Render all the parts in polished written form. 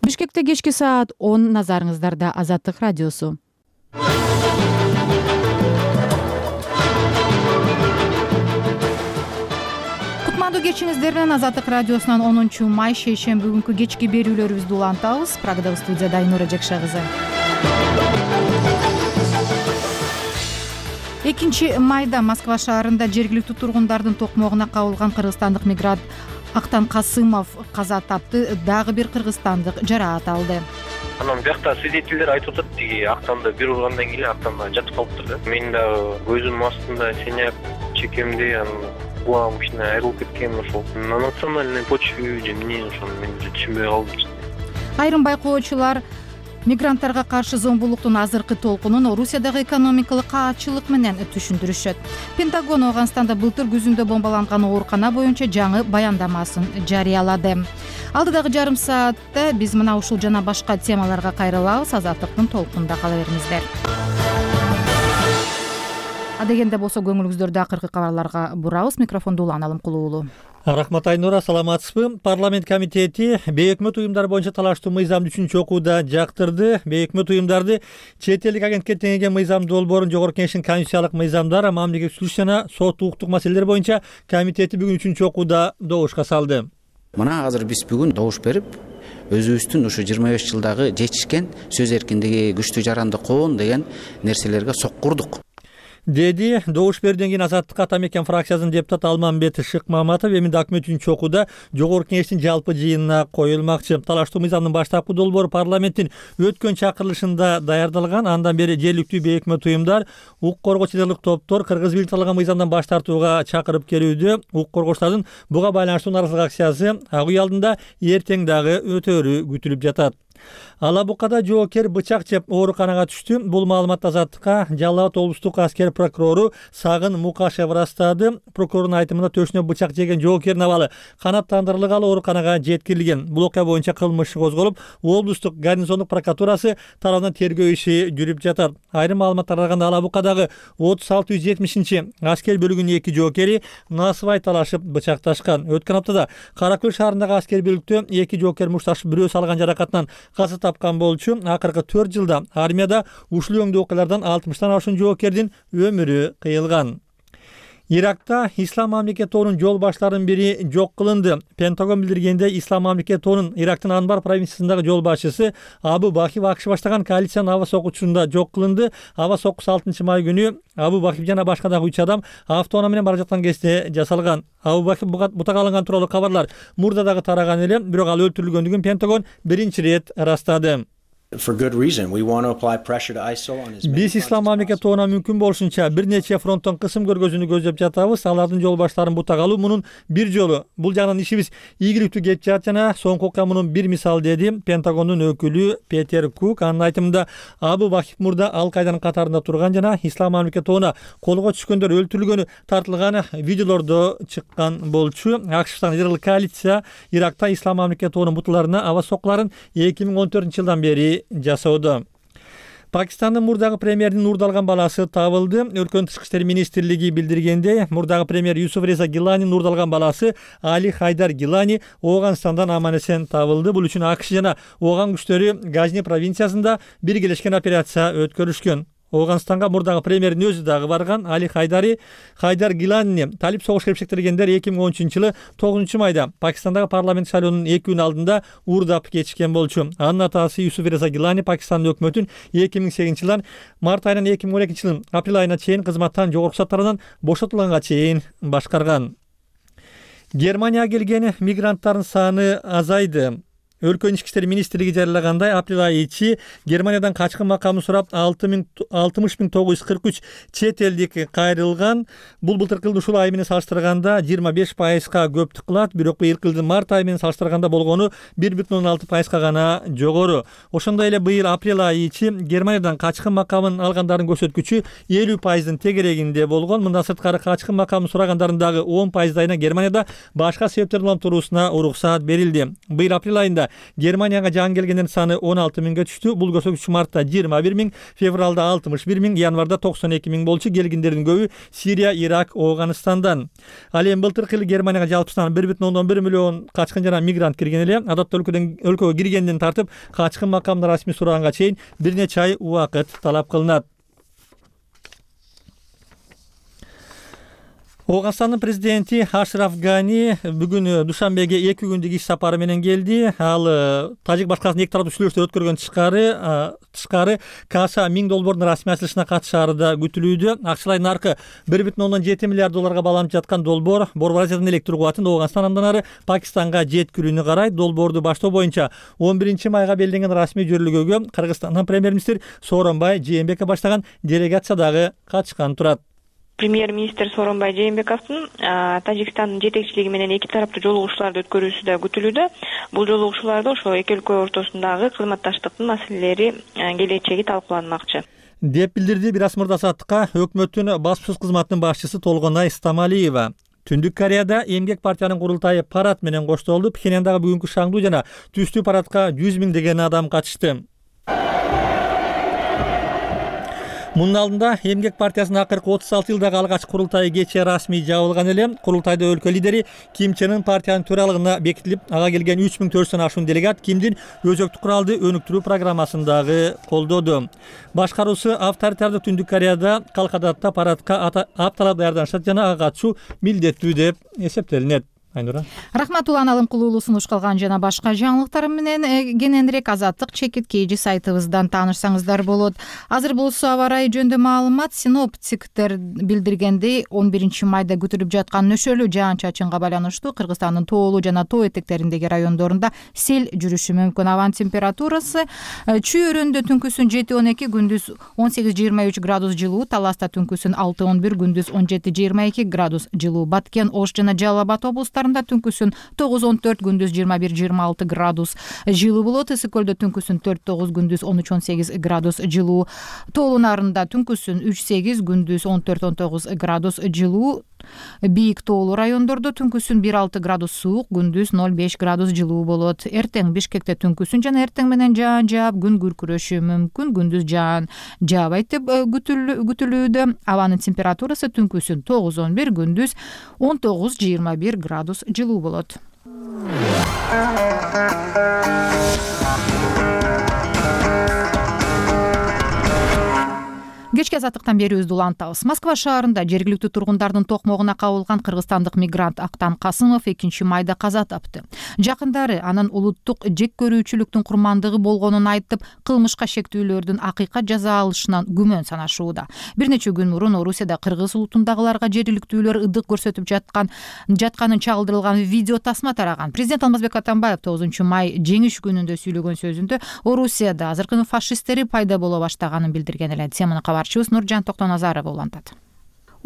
Бишкекте кечки саат 10 назарыңыздарда Азаттык радиосу. Кутмандуу кечиңиздер менен Азаттык радиосунан 10 май шейшемби күнкү кечки берүүлөрүбүздү улантабыз. Программабыз студияда Айнура Жекша кызы. 2 майда Москва шаарында жергиликтүү тургундардын токмогуна кабылган кыргызстандык мигрант Актан Касымов каза тапты, дагы бир кыргызстандык жараат алды. Анан биякта свидетелдер айтып атат, тиги Актанда бир ургандан кийин Актанда жатып калыптыр да. Мен дагы көзүмдүн астында синяк, чекемде анан кулагым кичине айрылып кеткен ошол. На национальной почве же эмне ошону мен түшүнбөй калдым. Айрым байкоочулар мигранттарга каршы зомбулуктун азыркы толкунун Орусиядагы экономикалык каатчылык менен түшүндүрүшөт. Пентагон Афганистанда былтыр күзүндө бомбаланган оорукана боюнча жаңы баяндамасын жарыялады. Алдыдагы жарым саатта биз мына ушул жана башка темаларга кайрылабыз. Азаттыктын толкунунда кала бериңиздер. Адегенде болсо көңүлүңүздөрдү акыркы кабарларга бурабыз. Микрофонду Улан Алымкулуу уулу. Рахмат Айнура, саламатсызбы? Парламент комитети бейөкмөт уюмдар боюнча талаштуу мыйзамды 3-окууда жактырды. Бейөкмөт уюмдарды чет элдик агенттикке теңейген мыйзам долбоорун Жогорку Кеңештин конституциялык мыйзамдар, мамлекеттик сүйлөш жана сот укуктук маселелер боюнча комитети бүгүн 3-окууда добушка салды. Мына азыр биз бүгүн добуш берип, өзүбүздүн ушу 25 жылдагы жетишкен сөз эркиндиги, күчтүү жаранды коон деген нерселерге соккурдук, деди добуш берүүдөн кийин Азаттык ата мекен фракциясынын депутаты Алмамбет Шыкмаматов. Эми документ 3-окууда Жогорку Кеңештин жалпы жыйынына коюлмакчы. Талаштуу мыйзамдын баштапкы долбоору парламенттин өткөн чакырылышында даярдалган. Андан бери жергиликтүү бейөкмөт уюмдар, укук коргоочу террорлук топтор Кыргыз бийлик талган мыйзамдан баш тартууга чакырып келүүдө. Укук коргоочулардын буга байланыштуу нааразылык акциясы ак үй алдында эртең дагы өтөөрү күтүлүп жатат. Ала Букада жоокер бычак жеп ооруканага түштү. Бул маалыматты Азаттыкка Жалал абад облустук аскер прокурору Сагын Мукашев ырастады. Прокурордун айтымында төшүнө бычак жеген жоокердин абалы канааттандырылгалы ооруканага жеткирилген. Бул окуя боюнча кылмыш иши козголуп, облустук гарнизондук прокуратурасы тарабынан тергөө иши жүрүп жатат. Айрым маалыматтарга караганда Ала Букадагы 3670 аскер бөлүгүнүн 2 жоокери насыбай талашып бычакташкан. Өткөн аптада Кара Көл шаарындагы аскер бөлүктө 2 жоокер мушташып бирөө салган жаракатынан каза тапкан болчу. Акыркы 4 жылда армияда ушул өңдүү окуялардан 60тан ашуун жоокердин өмүрү кыйылган. Иракта Ислам мамлекет тобунун жол баштарынын бири жок кылынды. Пентагон билдиргенде Ислам мамлекет тобунун Ирактын Анбар провинциясындагы жол башчысы Абу Бахиб АКШ баштаган коалициянын аба сокучусунда жок кылынды. Аба сокусу 6-май күнү Абу Бахиб жана башка дагы 3 адам автоунаа менен бара жаткан кезде жасалган. Абу Бахиб бутак алынган тууралуу кабарлар мурда дагы тараган эле, бирок ал өлтүрүлгөндүгүн Пентагон биринчи ирет ырастады. Биз Ислам мамлекет тобуна мүмкүн болушунча бир нече фронттон кысым көргөзүүнү көздөп жатабыз. Алардын жол баштарын бутак алуу мунун бир жолу. Бул жагынан ишибиз ийгиликтүү кетип жатат жана соңку окуя мунун бир мисалы, деди Пентагондун өкүлү Петер Кук. Анын айтымында Абу Бахиб мурда ал кайдын катарында турган жана Ислам мамлекет тобуна колго түшкөндөр өлтүрүлгөнү тартылган видеолордо чыккан болчу. АКШтан Ырыл коалиция Иракта Ислам мамлекет тобунун бутуларына аба сокуларын 2014-жылдан бери жасоодо. Пакистандын мурдагы премьердин нурдалган баласы табылды. Өлкөнүн тышкы иштер министрлиги билдиргенде, мурдагы премьер Юсуф Реза Гиланин нурдалган баласы Али Хайдар Гилани Ооганстандан аман-эсен табылды. Бул үчүн АКШ жана Ооган күчтөрү Газни провинциясында биргелешкен операция өткөрүшкөн. Ооганстанга мурдагы премьердин өзү дагы барган. Али Хайдар Гиланини талип согуш кепшектиргендер 2013-жылы 9-майда Пакистандагы парламент шайлоонун 2 күн алдында уурдап кетишкен болчу. Анын атасы Юсуф Реза Гилани Пакистандын өкмөтүн 2008-жылдан март айынан 2012-жылдын апрель айына чейин кызматтан жогорку сот тарабынан бошотулганга чейин башкарган. Германияга келген мигранттардын саны азайды. Өлкөнүн ички иштер министрлиги жарыялагандай, апрель айы ичи Германиядан качкын макамын сурап 60.943 чет элдик кайрылган. Бул былтыркы жылдын ушул айы менен салыштырганда 25%га көптүк кылат, бирок быйылкы жылдын март айы менен салыштырганда болгону 1,6%га гана жогору. Ошондой эле быйыл апрель айы ичи Германиядан качкын макамын алгандардын көрсөткүчү 50%дын тегерегинде болгон. Мындан сырткары качкын макамын сурагандардын дагы 10%дайына Германияда башка себептерден улам туруусуна уруксаат берилди. Быйыл апрель айында Германияга жаңы келгендердин саны 16 миңге түштү. Бул көрсөткүч мартта 21 миң, февралда 61 миң, январда 92 миң болчу. Келгендердин көбү Сирия, Ирак, Афганистандан. Ал эми былтыркы жылы Германияга жалпысынан 1,1 миллион качкын жана мигрант кирген эле. Адатта өлкөгө киргенден тартып качкын макамына расмий сураганга чейин бир нече ай убакыт талап кылынат. Афганстандын президенти Ашраф Гани бүгүн Душанбеге 2 күндүк иш сапары менен келди. Ал Тажик башкаласын эки тараптуу сүйлөшүүлөр өткөргөн тышкары Каша $1000 расмий ачылышына катышаары да күтүлүүдө. Акчалай наркы $1,7 миллиард багланып жаткан долбоор Азиядын электр кубатын Афганстан андан ары Пакистанга жеткирүүнү карайт. Долбоорду баштоо боюнча 11 майга белгиленген расмий жөрүлгөгө Кыргызстандын премьер-министри Сооронбай Жээнбеков баштаган делегация дагы катышкан турат. Премьер-министр Сооронбай Жээнбековдун Тажикстандын жетекчилиги менен эки тараптуу жолугушууларды өткөрүүсү да күтүлүүдө. Бул жолугушууларда ошо эки өлкө ортосундагы кызматташтыктын маселелери келечеги талкууланмакчы деп билдирди Бирас Мырзасаттыкка өкмөттүн баспасөз кызматынын башчысы Толгонай Стамалиева. Түндүк Кореяда эмгек партиянын курултайы парад менен коштолду. Пхеньяндагы бүгүнкү шаңдуу жана түстүү парадка 100 миңдеген адам катышты. Мунун алдында эмгек партиясынын акыркы 36 жылдагы алгач курултайы кечээ расмий жабылган эле. Курултайда өлкө лидери Ким Чен Ын партиянын төралыгына бекитилип, ага келген 3400 ашуун делегат Кимдин өзөктүк куралды өнүктүрүү программасын дагы колдоду. Башкаруусу авторитардык Түндүк Кореяда калкадатта парадка апталап даярданышат жана ага катышуу милдеттүү деп эсептелинет. Айнура. Рахмат Улан Алымкулуулу сунуш кылган жана башка жаңылыктар менен кененирээк Азаттык чекиткейжи сайтыбыздан таанышсаңыздар болот. Азыр болсо аба ырайы жөнүндө маалымат. Синоптиктер билдиргендей 11 майда күтүлүп жаткан нөшөлүү жаан-чачынга байланыштуу Кыргызстандын тоолуу жана тоо этектериндеги райондорунда сел жүрүшү мүмкүн. Абанын температурасы Чүй өрөөнүндө түнкүсүн 7-12, күндүз 18-23 градус жылуу, Таласта түнкүсүн 6-11, күндүз 17-22 градус жылуу, Баткен, Ош жана Жалал Абад облустарында түнкүсүн 9-14, күндүз 21-26 градус жылуу болот. Ысык көлдө түнкүсүн 4-9, күндүз 13-18 градус жылуу, тоолуу нарында түнкүсүн 3-8, күндүз 14-19 градус жылуу, бийик тоолуу райондордо түнкүсүн 1-6 градус суук, күндүз 0-5 градус жылуу болот. Эртең Бишкекте түнкүсүн жана эртең менен жаан жаап, күн күркүрөшү мүмкүн, күндүз жаан жаабайт деп күтүлүүдө. Абанын температурасы түнкүсүн 9-11, күндүз 19-21 градус жылуу болот. Кечки азаттыктан берүүбүздү улантабыз. Москва шаарында жергиликтүү тургундардын токмогуна кабылган кыргызстандык мигрант Актан Касымов 2 майда каза тапты. Жакындары анын улуттук жек көрүүчүлүктүн курмандыгы болгонун айтып, кылмышка шектүүлөрдүн акыйкат жаза алышынан күмөн санашууда. Бир нече күн мурун Орусияда кыргыз улутундагыларга жергиликтүүлөр ыдык көрсөтүп жатканын чагылдырылган видео тасма тараган. Президент Алмазбек Атамбаев 9 май жеңиш күнүндө сүйлөгөн сөзүндө Орусияда азыркы фашисттери пайда боло баштаганын билдирген эле. Теманы кабарчыбыз Нуржан Токтоназарова улантат.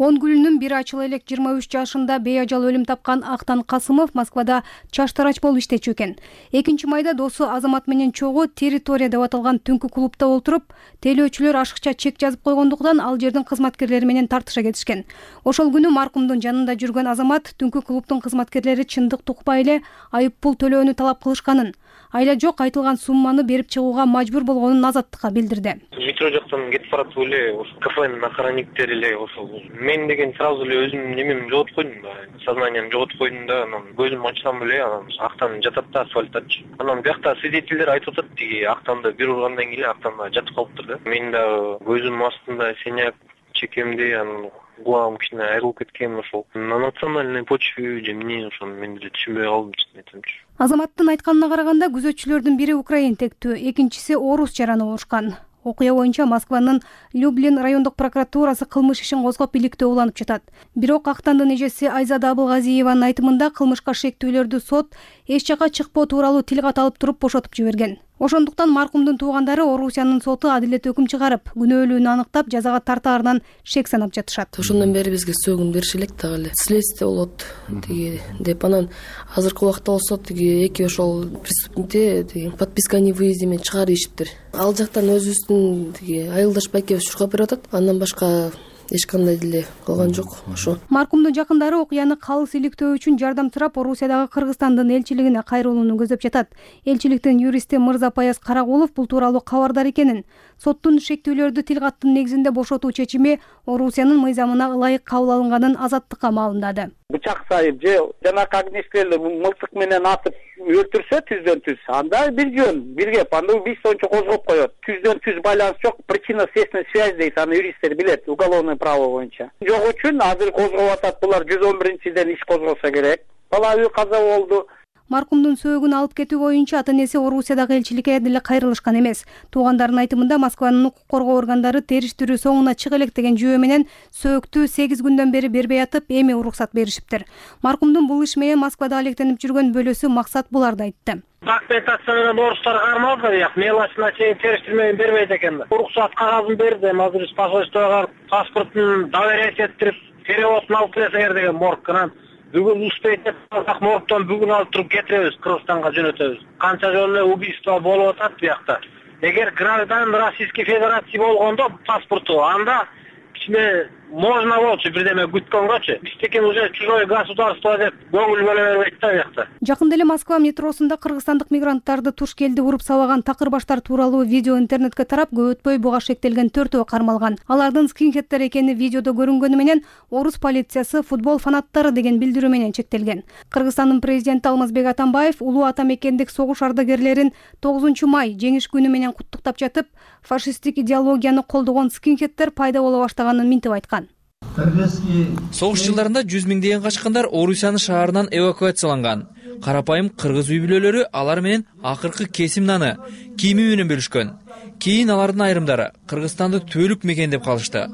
10 гүлүнүн бир ачыла элек 23 жашында бейажал өлүм тапкан Актан Касымов Москвада чаштарач болуп иштечү экен. 2 майда досу Азамат менен чогуу территория деп аталган түнкү клубда отуруп, тейлөөчүлөр ашыкча чек жазып койгондуктан ал жердин кызматкерлери менен тартыша кетишкен. Ошол күнү маркумдун жанында жүргөн Азамат түнкү клубдун кызматкерлери чындык тукпай эле айып пул төлөөнү талап кылышканын, айла жок айтылган сумманы берип чыгууга мажбур болгонун Азаттыкка билдирди. Метро жактан кетип баратып эле ошо кафенин охранниктери эле ошол мен деген сразу эле өзүмдүн немемди жоготуп койдум да, сознаниемди жоготуп койдум да, анан көзүмдү ачсам эле анан Актан жатат да асфальттачы. Анан биякта свидетелдер айтып атат, тиги Актанды бир ургандан кийин Актанда жатып калыптыр да. Мен дагы көзүмдүн астында синяк чекемди, анан кулагым кичине айрылып кеткен ошол. На национальной почве же эмне ошону мен деле түшүнбөй калдым, чын айтамчы. Азаматтын айтканына караганда күзөтчүлөрдүн бири украин тектүү, экинчиси орус жараны болушкан. Окуя боюнча Москванын Люблин райондук прокуратурасы кылмыш ишин козгоп иликтөө уланып жатат. Бирок Актандын эжеси Айзада Абылгазиеванын айтымында кылмышка шектүүлөрдү сот эч жака чыкпоо тууралуу тил кат алып туруп бошотуп жиберген. Ошондуктан маркумдун туугандары Орусиянын соту адилет өкүм чыгарып, күнөөлүүнү анықтап, жазага тартаарынан шек санап жатышат. Ошондон бери бизге сөөгүн бериши элек дагы эле. Следствие болот тиги деп, анан азыркы убакта болсо тиги эки ошол преступникти тиги подписка о невыезде менен чыгар ийишиптир. Ал жактан өзүбүздүн тиги айылдаш байкебиз шуркап берип атат. Андан башка эч кандай деле кылган жок ошо. Маркумдун жакындары окуяны калыс иликтөө үчүн жардам сурап Орусиядагы Кыргызстандын элчилигине кайрылууну көздөп жатат. Элчиликтин юристи Мырзапаяз Карагулов бул тууралуу кабардар экенин, соттун шектүүлөрдү тил каттын негизинде бошотуу чечими Орусиянын мыйзамына ылайык кабыл алынганын азаттыкка маалымдады. Бычак сайып же жанакы огнестрелди мылтык менен атып өлтүрсө түздөн түз, анда бир жөн, бир кеп, анда убийствончу козгоп коет. Түздөн түз байланыш жок, причинно-следственный связь дейт, аны юристтер билет, уголовное право боюнча. Жок үчүн азыр козгоп атат, булар 111-ден иш козгосо керек. Бала үй каза болду. Маркумдун сөөгүн алып кетүү боюнча ата-энеси Орусиядагы элчиликке деле кайрылышкан эмес. Туугандардын айтымында Москванын укук коргоо органдары териштирүү соңуна чыга элек деген жүйө менен сөөктү 8 күндөн бери бербей атып, эми уруксат беришиптир. Маркумдун бул иш менен Москвада алектенип жүргөн бөлөсү Максат буларды айтты. Документация менен орустар кармалды, як мелочина чейин териштирмеген бербейт экен да. Уруксат кагазын берди, азыр посольствого паспортун доверять этирип, переводун алып келесеңер деген моргканан. Бүгүн успеть этсак моргтон бүгүн алып туруп кетиребиз, Кыргызстанга жөнөтөбүз. Канча жолу убийство болуп атат буякта. Эгер гражданин Российской Федерации болгондо паспорту, анда кичине можно болчу бирдеме күткөнгөчү. Биздики уже чужое государство деп көңүл бөлө бербейт да буякта. Жакында эле Москва метросунда кыргызстандык мигранттарды туш келди уруп сабаган такырбаштар тууралуу видео интернетке тарап, көп өтпөй буга шектелген 4 кармалган. Алардын скинхедтер экени видеодо көрүнгөнү менен орус полициясы футбол фанаттары деген билдирүү менен чектелген. Кыргызстандын президенти Алмазбек Атамбаев улуу ата мекендик согуш ардагерлерин 9 май жеңиш күнү менен куттуктап жатып, фашисттик идеологияны колдогон скинхедтер пайда боло баштаганын минтип айткан. Согуш жылдарында 100 миңдеген качкындар Орусиянын шаарынан эвакуацияланган. Карапайым кыргыз үй бүлөлөрү алар менен акыркы кесим наны, кийими менен бөлүшкөн. Кийин алардын айрымдары Кыргызстанды түбөлүк мекендеп калышты.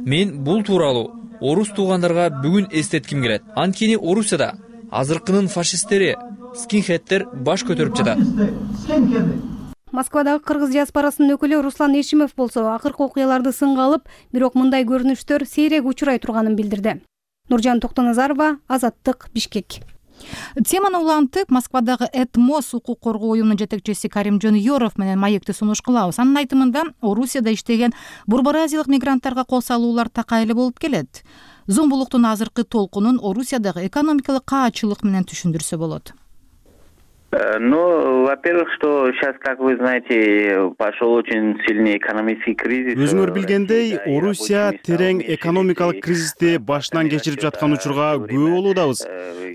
Мен бул тууралуу орус туугандарга бүгүн эстетким келет. Анткени Орусияда азыркынын фашисттери, скинхедтер баш көтөрүп жатат. Москвадагы кыргыз диаспорасынын өкүлү Руслан Эшимов болсо, акыркы окуяларды сынга алып, бирок мындай көрүнүштөр сейрек учурай турганын билдирди. Нуржан Токтоназарова, Азаттык, Бишкек. Теманы улантып, Москвадагы Этмос укук коргоо уюмунун жетекчиси Карим Жонюров менен маекти сунуш кылабыз. Анын айтымында, Орусияда иштеген бурбаразиялык мигранттарга кол салуулар такайлы болуп келет. Зомбулуктун азыркы толкунун Орусиядагы экономикалык каачылык менен түшүндүрсө болот. Ну, во-первых, что сейчас, как вы знаете, пошел очень сильный экономический кризис. Өзүңөр билгендей, Орусия терең экономикалык кризисти башынан кечирип жаткан учурга күбө болуудабыз.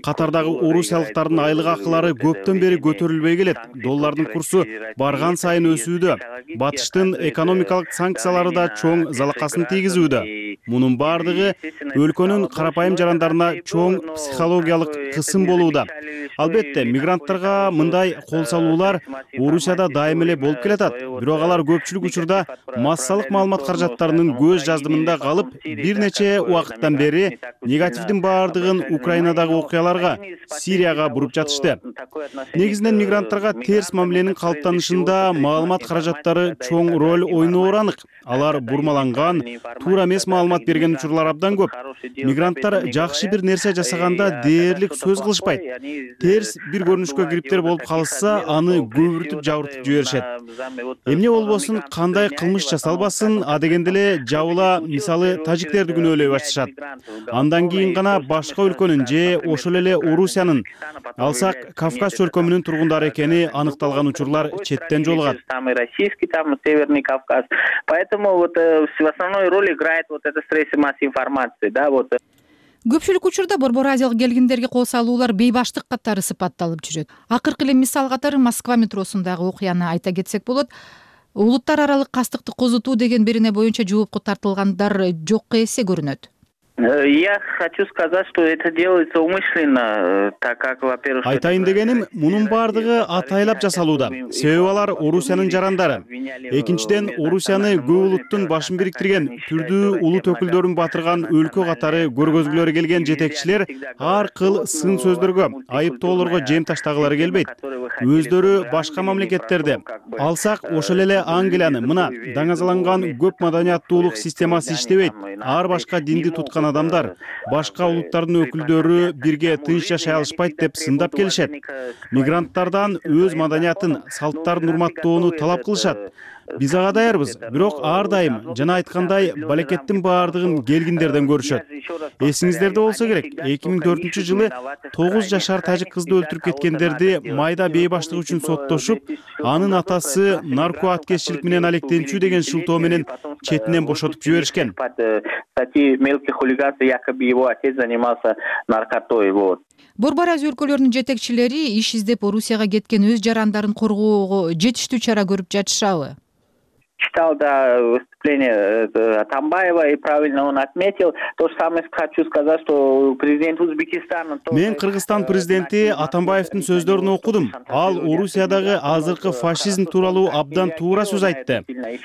Катардагы орусиялыктардын айлык акылары көптөн бери көтөрүлбөй келет. Доллардын курсу барган сайын өсүүдө. Батыштын экономикалык санкциялары да чоң залакасын тийгизүүдө. Мунун бардыгы өлкөнүн карапайым жарандарына чоң психологиялык кысым болууда. Албетте, мигранттарга мындай кол салуулар Орусияда дайым эле болуп келатат. Бирок алар көпчүлүк учурда массалык маалымат каражаттарынын көз жаздымында калып, бир нече убакыттан бери негативдин бардыгын Украинадагы окуяларга, Сирияга буруп жатышты. Негизинен мигранттарга терс мамиленин калыптанышында маалымат каражаттары чоң роль ойноору анык. Алар бурмаланган, туура эмес маалымат берген учурлар абдан көп. Мигранттар жакшы бир нерсе жасаганда дээрлик сөз кылышпайт. Терс бир көрүнүшкө кириптер болуп калышса, аны көбүртүп жабыртып жиберишет. Эмне болбосун, кандай кылмыш жасалбасын, а дегенде эле жабыла, мисалы, тажиктерди күнөөлөй башташат. Андан кийин гана башка өлкөнүн же ошол эле Орусиянын, алсак Кавказ чөлкөмүнүн тургундары экени аныкталган учурлар четтен жолугат. Российский, там Северный Кавказ. Поэтому вот в основной роль играет вот это средство массовой информации, да, вот. Көпчүлүк учурда борборазиялык келгиндерге кол салуулар бейбаштык катары сыпатталып жүрөт. Акыркы эле мисал катары Москва метросундагы окуяны айта кетсек болот. Улуттар аралык кастыкты козутуу деген берене боюнча жоопко тартылгандар жокко эсе көрүнөт. Я хочу сказать, что это делается умышленно, так как, во-первых... Айтайын дегеним, мунун бардыгы атайлап жасалууда. Себеби алар Орусиянын жарандары. Экинчиден, Орусияны көп улуттун башын бириктирген, түрдүү улут өкүлдөрүн батырган өлкө катары көргөзгүлөрү келген жетекчилер ар кыл сын сөздөргө, айыптоолорго жем таштагылары келбейт. Өздөрү башка мамлекеттерде. Алсак, ошол эле Англияны, мына, даңазаланган көп маданияттуулук системасы иштебейт. Ар башка динди туткан адамдар, башка улуттардын өкүлдөрү бирге тынч жашай алышпайт деп сындап келишет. Мигранттардан өз маданиятын, салттарын урматтоону талап кылышат. Биз ага даярбыз, бирок ар дайым жана айткандай балекеттин баардыгын келгиндерден көрүшөт. Эсиңиздерде болсо керек, 2004-жылы 9 жашар тажик кызды өлтүрүп кеткендерди майда бейбаштык үчүн соттошуп, анын атасы нарко аткезчилик менен алектенчүү деген шылтоо менен четинен бошотуп жиберишкен. Борбор Азия өлкөлөрүнүн жетекчилери иш издеп Орусияга кеткен өз жарандарын коргоого жетиштүү чара көрүп жатышабы? Читал выступление Атамбаева, и правильно он отметил. То же самое хочу сказать, что президент Узбекистана... Мен Кыргызстан президенти Атамбаевдин сөздөрүн окудум. Ал Орусиядагы азыркы фашизм тууралуу абдан туура сөз айтты.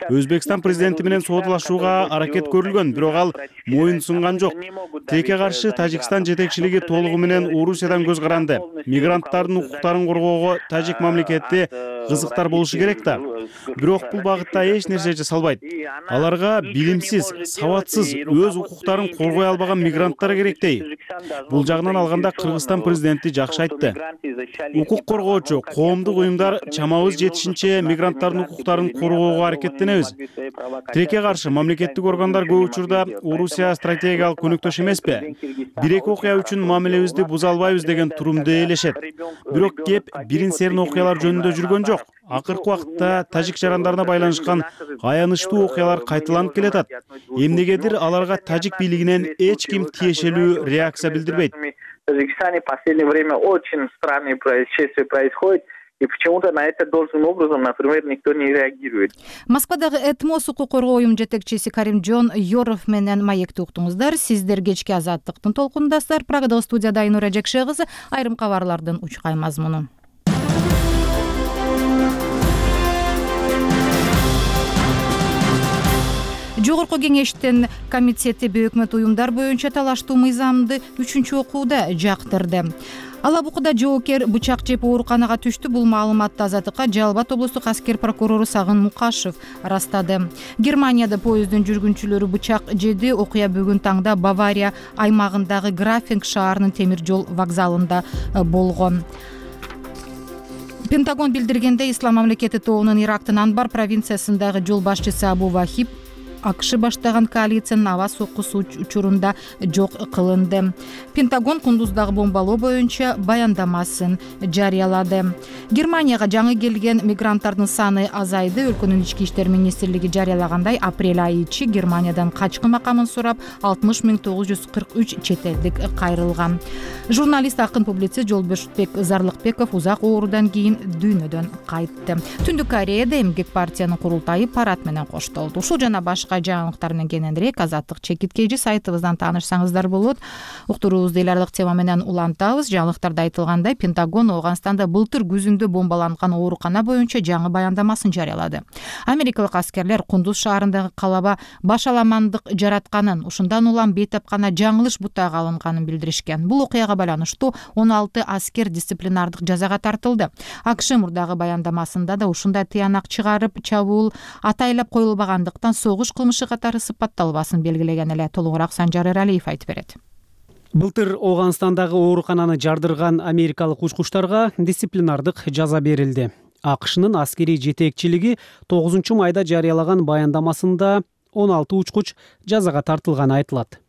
Өзбекстан президенти менен соодалашууга аракет көрүлгөн, бирок ал моюн сунган жок. Тилекке каршы Тажикстан жетекчилиги толугу менен Орусиядан көз каранды. Мигранттардын укуктарын коргоого тажик мамлекети кызыктар болушу керек да. Бирок бул багытта эч нерсе жасалбайт. Аларга билимсиз, сабатсыз, өз укуктарын коргой албаган мигранттар керектей. Бул жагынан алганда Кыргызстан президенти жакшы айтты. Укук коргоочу коомдук уюмдар чамабыз жетишинче мигранттардын укуктарын коргоого аракеттенебиз. Тилекке каршы мамлекеттик органдар көп учурда Орусия стратегиялык өнөктөш эмеспи? Бир-эки окуя үчүн мамилебизди буза албайбыз деген турумду ээлешет. Бирок кеп бирин-серин окуялар жөнүндө жүргөн жок. Акыркы убакытта тажик жарандарына байланышкан аянычтуу окуялар кайталанып келатат. Эмнегедир аларга тажик бийлигинен эч ким тиешелүү реакция билдирбейт. В Таджикистане в последнее время очень странные происшествия происходят. И почему-то на это должным образом, например, никто не реагирует. Москвадагы Этмос укук коргоо уюм жетекчиси Каримжон Йоров менен маекти уктуңуздар. Сиздер кечки Азаттыктын толкундасыздар. Прагадагы студияда Айнура Жекше кызы. Айрым кабарлардын учкай мазмуну. Жогорку кеңештин комитети бейөкмөт уюмдар боюнча талаштуу мыйзамды 3-окууда жактырды. Алабукуда жоокер бычак жеп ооруканага түштү. Бул маалыматты Азаттыкка Жалал Абад облустук аскер прокурору Сагын Мукашев растады. Германияда поезддин жүргүнчүлөрү бычак жеди. Окуя бүгүн таңда Бавария аймагындагы Графинг шаарынын темир жол вокзалында болгон. Пентагон билдиргендей, Ислам мамлекети тобунун Ирактын Анбар провинциясындагы жол башчысы Абу Вахиб АКШ баштаган коалициянын аба соккусу учурунда жок кылынды. Пентагон Кундуздагы бомбалоо боюнча баяндамасын жарыялады. Германияга жаңы келген мигранттардын саны азайды. Өлкөнүн ички иштер министрлиги жарыялагандай, апрель айы ичи Германиядан качкын макамын сурап 60.943 чет элдик кайрылган. Журналист, акын, публицист Жолбошбек Зарлыкбеков узак оорудан кийин дүйнөдөн кайтты. Түндүк Кореяда эмгек партиянын курултайы парад менен коштолду. Ушул жана башка жаңылыктар менен кененирээк Азаттык чекиткечи сайтыбыздан таанышсаңыздар болот. Уктуруубузду эл аралык тема менен улантабыз. Жаңылыктарда айтылгандай, Пентагон Ооганстанда былтыр күзүндө бомбаланган оорукана боюнча жаңы баяндамасын жарыялады. Америкалык аскерлер Кундуз шаарындагы калаба башаламандык жаратканын, ушундан улам бейтапкана жаңылыш бутага алынганын билдиришкен. Бул окуяга байланыштуу 16 аскер дисциплинардык жазага тартылды. АКШ мурдагы баяндамасында да ушундай тыянак чыгарып, чабуул атайлап коюлбагандыктан согуш кылмышы катары сыпатталбасын белгилеген эле. Толугураак Санжар Эралиев айтып берет. Былтыр Ооганстандагы оорукананы жардырган америкалык учкучтарга дисциплинардык жаза берилди. АКШнын аскерий жетекчилиги 9-майда жарыялаган баяндамасында 16 учкуч жазага тартылганы айтылат.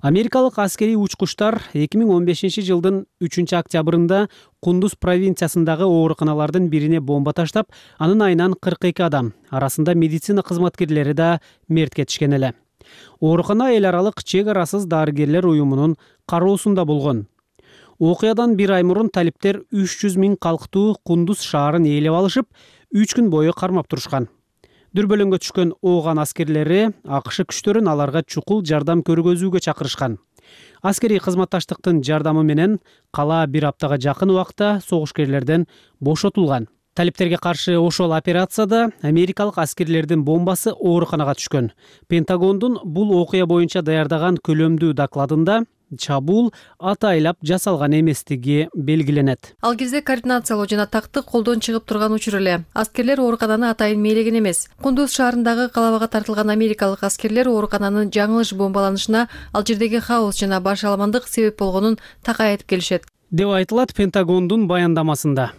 Америкалык аскерий учкучтар 2015-жылдын 3-октябрында Кундуз провинциясындагы ооруканалардын бирине бомба таштап, анын айынан 42 адам, арасында медицина кызматкерлери да мерт кетишкен эле. Оорукана эл аралык чек арасыз дарыгерлер уюмунун кароосунда болгон. Окуядан бир ай мурун талиптер 300 000 калктуу Кундуз шаарын ээлеп алышып, 3 күн бою кармап турушкан. Дүрбөлөңгө түшкөн Ооган аскерлери АКШ күчтөрүн аларга чукул жардам көргөзүүгө чакырышкан. Аскерий кызматташтыктын жардамы менен кала бир аптага жакын убакта согушкерлерден бошотулган. талиптерге каршы ошол операцияда америкалык аскерлердин бомбасы ооруканага түшкөн. Пентагондун бул окуя боюнча даярдаган көлөмдүү докладында чабуул атайлап жасалган эместиги белгиленет. Ал кезде координациялоо жана тактык колдон чыгып турган учур эле. Аскерлер оорукананы атайын мээлеген эмес. Кундуз шаарындагы калабага тартылган америкалык аскерлер оорукананын жаңылыш бомбаланышына ал жердеги хаос жана башаламандык себеп болгонун такай айтып келишет, деп айтылат Пентагондун баяндамасында.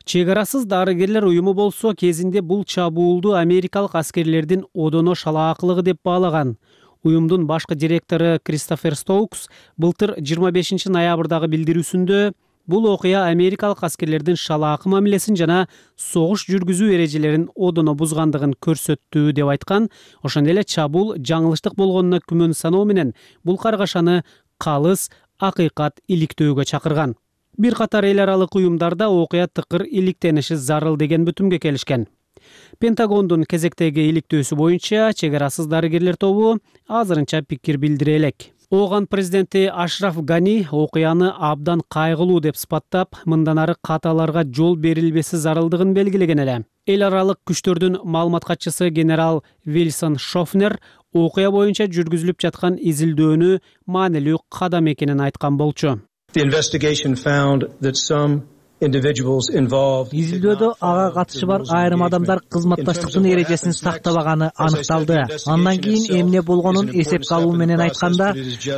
Чек арасыз дарыгерлер уюму болсо кезинде бул чабуулду америкалык аскерлердин одоно шалаакылыгы деп баалаган. Уюмдун башкы директору Кристофер Стоукс былтыр 25 ноябрдагы билдирүүсүндө бул окуя америкалык аскерлердин шалаакы мамилесин жана согуш жүргүзүү эрежелерин одоно бузгандыгын көрсөттү деп айткан. Ошондой эле чабуул жаңылыштык болгонуна күмөн саноо менен бул каргашаны калыс акыйкат иликтөөгө чакырган. Бир катар эл аралык уюмдарда окуя тыкыр иликтениши зарыл деген бүтүмгө келишкен. Пентагондун кезектеги иликтөөсү боюнча чек арасыз дарыгерлер тобу азырынча пикир билдире элек. Ооган президенти Ашраф Гани окуяны абдан кайгылуу деп сыпаттап, мындан ары каталарга жол берилбеси зарылдыгын белгилеген эле. Эл аралык күчтөрдүн маалымат катчысы генерал Вилсон Шофнер окуя боюнча жүргүзүлүп жаткан изилдөөнү маанилүү кадам экенин айткан болчу. Изилдөөдө ага катышы бар айрым адамдар кызматташтыктын эрежесин сактабаганы аныкталды. Андан кийин эмне болгонун эсепке алуу менен айтканда,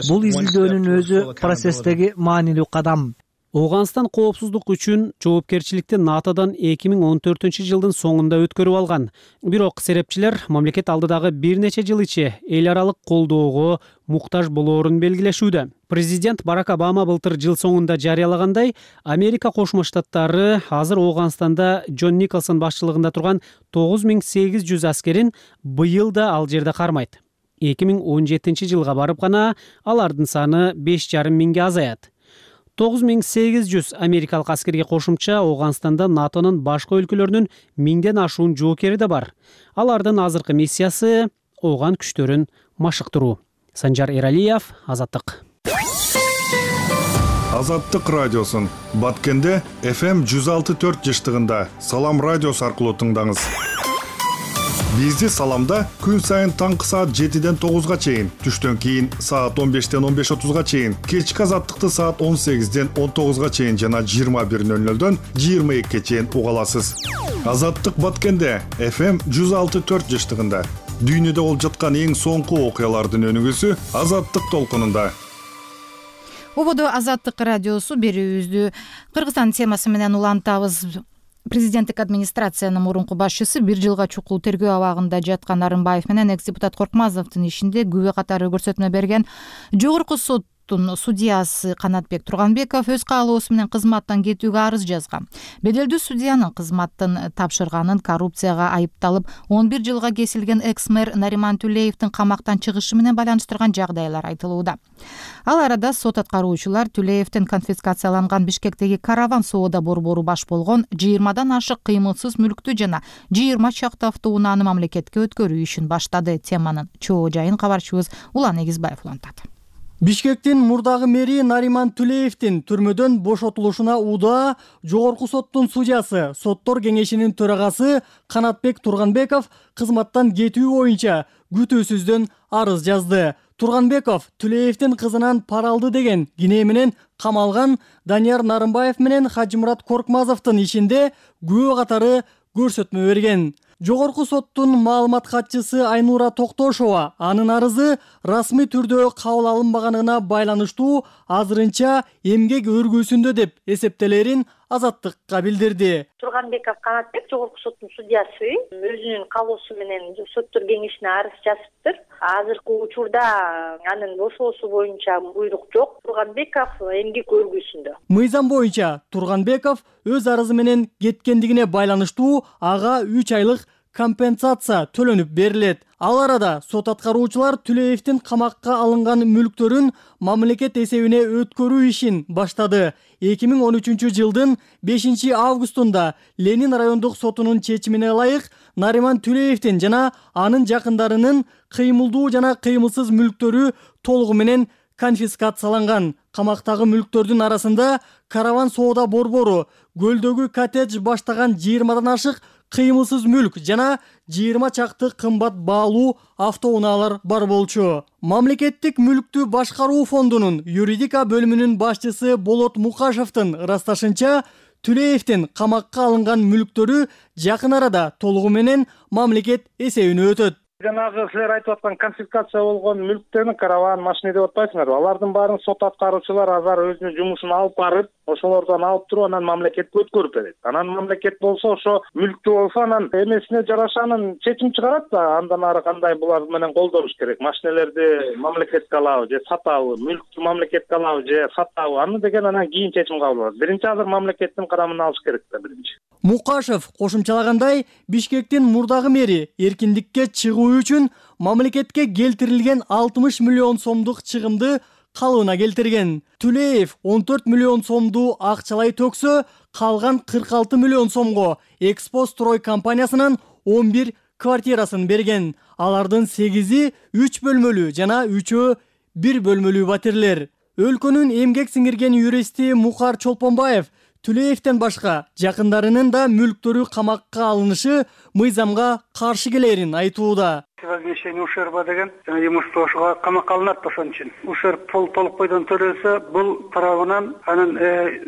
бул изилдөөнүн өзү процесстеги маанилүү кадам. Ооганстан коопсуздук үчүн жоопкерчиликти НАТОдон 2014-жылдын соңунда өткөрүп алган. Бирок серепчилер мамлекет алдыдагы бир нече жыл ичи эл аралык колдоого муктаж болоорун белгилешүүдө. Президент Барак Обама былтыр жыл соңунда жарыялагандай, Америка Кошмо Штаттары азыр Ооганстанда Джон Николсон башчылыгында турган 9800 аскерин быйыл да ал жерде кармайт. 2017-жылга барып гана алардын саны 5,5 миңге азаят. 9800 америкалык аскерге кошумча Ооганстанда НАТОнун башка өлкөлөрүнүн 1000ден ашуун жоокери да бар. Алардын азыркы миссиясы ооган күчтөрүн машыктыруу. Санжар Эралиев, Азаттык. Азаттык радиосун Баткенде FM 106.4 жыштыгында Салам радиосу аркылуу тыңдаңыз. Бизди Саламда күн сайын таңкы саат 7ден 9га чейин, түштөн кийин саат 15ден 15:30га чейин, кечки Азаттыкты саат 18ден 19га чейин жана 21:00дөн 22ге чейин уга аласыз. Азаттык Баткенде FM 106.4 жыштыгында дүйнөдө болуп жаткан эң соңку окуялардын өнүгүүсү Азаттык толкунунда. Ободо Азаттык радиосу берүүбүздү Кыргызстан темасы менен улантабыз. Президенттик администрациянын мурунку башчысы 1 жылга чукул тергөө абагында жаткан Нарымбаев менен экс-депутат Коркмазовдун ишинде күбө катары көрсөтмө берген Жогорку соттун судьясы Канатбек Турганбеков өз каалоосу менен кызматтан кетүүгө арыз жазган. Беделдүү судьянын кызматтын тапшырганын коррупцияга айыпталып 11 жылга кесилген экс-мэр Нариман Түлеевдин камактан чыгышы менен байланыштырган жагдайлар айтылууда. Ал арада сот аткаруучулар Түлеевдин конфискацияланган Бишкектеги караван соода борбору баш болгон 20дан ашык кыймылсыз мүлктү жана 20 чакты автоунааны мамлекетке өткөрүү ишин баштады. Теманын чоо жайын кабарчыбыз Улан Эгизбаев улантат. Бишкектин мурдагы мэри Нариман Түлеевдин түрмөдөн бошотулушуна удаа Жогорку соттун судьясы, соттор кеңешинин төрагасы Канатбек Турганбеков кызматтан кетүү боюнча күтүүсүздөн арыз жазды. Турганбеков Түлеевдин кызынан пара алды деген кинээ менен камалган Данияр Нарымбаев менен Хажымурат Коркмазовдун ишинде күбө катары көрсөтмө берген. Жогорку соттун маалымат катчысы Айнура Токтошова анын арызы расмий түрдө кабыл алынбаганына байланыштуу азырынча эмгек өргүүсүндө деп эсептелерин Азаттыкка билдирди. Турганбеков Канатбек Жогорку соттун судьясы өзүнүн каалоосу менен соттор кеңешине арыз жазыптыр. Азыркы учурда анын бошоосу боюнча буйрук жок. Турганбеков эмгек өргүүсүндө. Мыйзам боюнча Турганбеков өз арызы менен кеткендигине байланыштуу ага 3 айлык компенсация төлөнүп берилет. Ал арада сот аткаруучулар Түлеевдин камакка алынган мүлктөрүн мамлекет эсебине өткөрүү ишин баштады. 2013-жылдын 5 августунда Ленин райондук сотунун чечимине ылайык Нариман Түлеевдин жана анын жакындарынын кыймылдуу жана кыймылсыз мүлктөрү толугу менен конфискацияланган. Камактагы мүлктөрдүн арасында караван соода борбору, көлдөгү коттедж баштаган 20дан ашык кыймылсыз мүлк жана 20 чакты кымбат баалуу автоунаалар бар болчу. Мамлекеттик мүлктү башкаруу фондунун юридика бөлүмүнүн башчысы Болот Мукашевдин ырасташынча, Түлеевдин камакка алынган мүлктөрү жакын арада толугу менен мамлекет эсебине өтөт. Жанагы силер айтып аткан конфискация болгон мүлктөрдүн караван машина деп атпайсыңарбы? Алардын баарын сот аткаруучулар азыр өзүнүн жумушун алып барып, ошолордон алып туруп анан мамлекетке өткөрүп берет. Анан мамлекет болсо ошо мүлктү болсо анан эмесине жараша анан чечим чыгарат да, андан ары кандай булар менен колдонуш керек. Машинелерди мамлекетке алабы же сатабы, мүлктү мамлекетке алабы же сатабы, аны деген анан кийин чечим кабыл алат. Биринчи азыр мамлекеттин карамына алыш керек да биринчи. Мукашев кошумчалагандай, Бишкектин мурдагы мэри эркиндикке чыгуу үчүн мамлекетке келтирилген 60 миллион сомдук чыгымды калыбына келтирген. Түлеев 14 миллион сомду акчалай төксө, калган 46 миллион сомго Экспо строй компаниясынан 11 квартирасын берген. Алардын 8-и 3 бөлмөлүү жана 3-өө 1 бөлмөлүү батирлер. Өлкөнүн эмгек сиңирген юристи Мукар Чолпонбаев Түлеевден башка жакындарынын да мүлктөрү камакка алынышы мыйзамга каршы келерин айтууда. Возмещение ущерба деген имуществого камакка алынат ошон үчүн. Ущерб толук бойдон төлөсө, бул тарабынан анын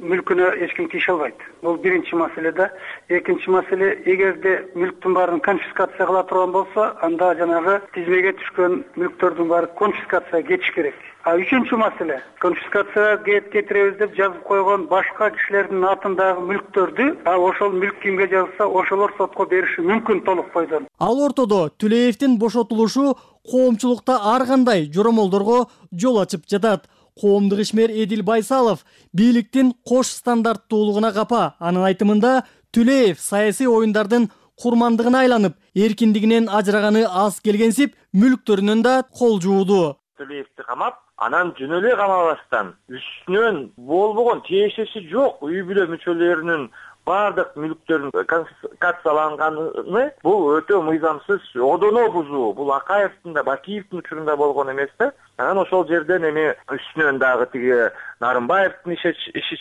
мүлкүнө эч ким тийише албайт. Бул биринчи маселе да. Экинчи маселе, эгерде мүлктүн баарын конфискация кыла турган болсо, анда жанагы тизмеге түшкөн мүлктөрдүн баары конфискацияга кетиш керек. Үчүнчү маселе, конфискацияга кетиребиз деп жазып койгон башка кишилердин атындагы мүлктөрдү, ошол мүлк кимге жазылса, ошолор сотко бериши мүмкүн толук бойдон. Ал ортодо Түлеевдин бошотулушу коомчулукта ар кандай жоромолдорго жол ачып жатат. Коомдук ишмер Эдил Байсалов бийликтин кош стандарттуулугуна капа. Анын айтымында Түлеев саясий оюндардын курмандыгына айланып, эркиндигинен ажыраганы аз келгенсип, мүлктөрүнөн да кол жууду. Түлеевди камап, анан жөн эле камабастан үстүнөн болбогон тиешеси жок үй бүлө мүчөлөрүнүн бардык мүлктөрүн конфискацияланганы бул өтө мыйзамсыз одоно бузуу. Бул Акаевдин да Бакиевдин учурунда болгон эмес да. Анан ошол жерден эми үстүнөн дагы тиги Нарымбаевдин иши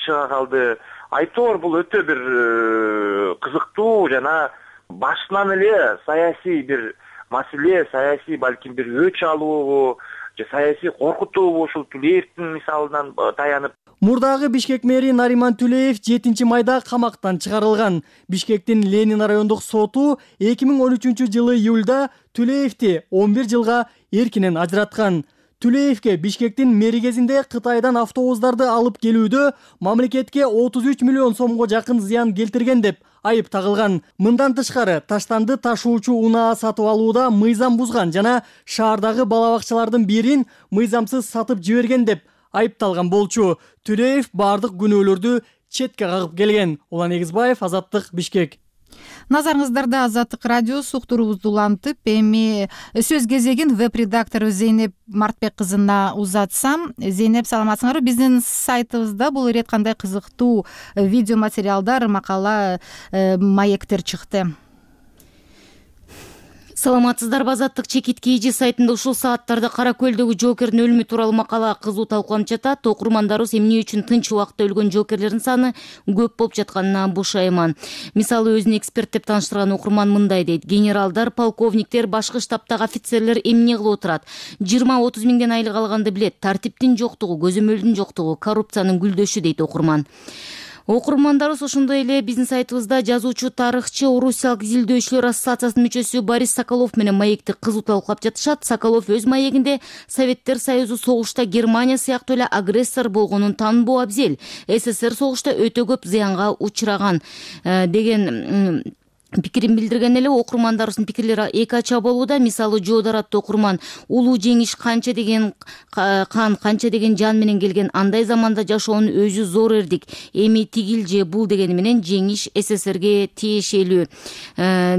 чыга калды. Айтор бул өтө бир кызыктуу жана башынан эле саясий бир маселе, саясий балким бир өч алуу же саясий коркутуу ушул Түлеевдин мисалынан таянып. Мурдагы Бишкек мэри Нариман Түлеев 7 майда камактан чыгарылган. Бишкектин Ленин райондук соту 2013-жылы июлда Түлеевди 11 жылга эркинен ажыраткан. Түлеевке Бишкектин мэригезинде Кытайдан автобустарды алып келүүдө мамлекетке 33 миллион сомго жакын зыян келтирген деп айып тагылган. Мындан тышкары таштанды ташуучу унаа сатып алууда мыйзам бузган жана шаардагы балабакчалардын бирин мыйзамсыз сатып жиберген деп айыпталган болчу. Түлеев бардык күнөөлөрдү четке кагып келген. Улан Эгизбаев, Азаттык, Бишкек. Назарыңыздарда Азаттык радиосу уктуруубузду улантып, эми сөз кезегин веб-редактору Зейнеп Мартбек кызына узатсам. Зейнеп, саламатсыңарбы? Биздин сайтыбызда бул ирет кандай кызыктуу видео материалдар, макала, маектер чыкты. Саламатсыздарбы? Азаттык чекит KG сайтында ушул сааттарда Кара көлдөгү жоокердин өлүмү тууралуу макала кызуу талкууланып жатат. Окурмандарыбыз эмне үчүн тынч убакта өлгөн жоокерлердин саны көп болуп жатканына бушайман. Мисалы, өзүн эксперт деп тааныштырган окурман мындай дейт: генералдар, полковниктер, башкы штабтагы офицерлер эмне кылып отурат? 20-30 миңден айлык алганды билет. Тартиптин жоктугу, көзөмөлдүн жоктугу, коррупциянын гүлдөшү дейт окурман. Окурмандарыбыз ошондой эле биздин сайтыбызда жазуучу, тарыхчы, Орусиялык изилдөөчүлөр ассоциациясынын мүчөсү Борис Соколов менен маекти кызуу талкуулап жатышат. Соколов өз маегинде Советтер Союзу согушта Германия сыяктуу эле агрессор болгонун тааныбоо абзел. СССР согушта өтө көп зыянга учураган деген пикирин билдирген эле. Окурмандарыбыздын пикирлери эки ача болууда. Мисалы, Жоодор аттуу окурман улуу жеңиш канча деген кан, канча деген жан менен келген, андай заманда жашоонун өзү зор эрдик, эми тигил же бул дегени менен жеңиш СССРге тиешелүү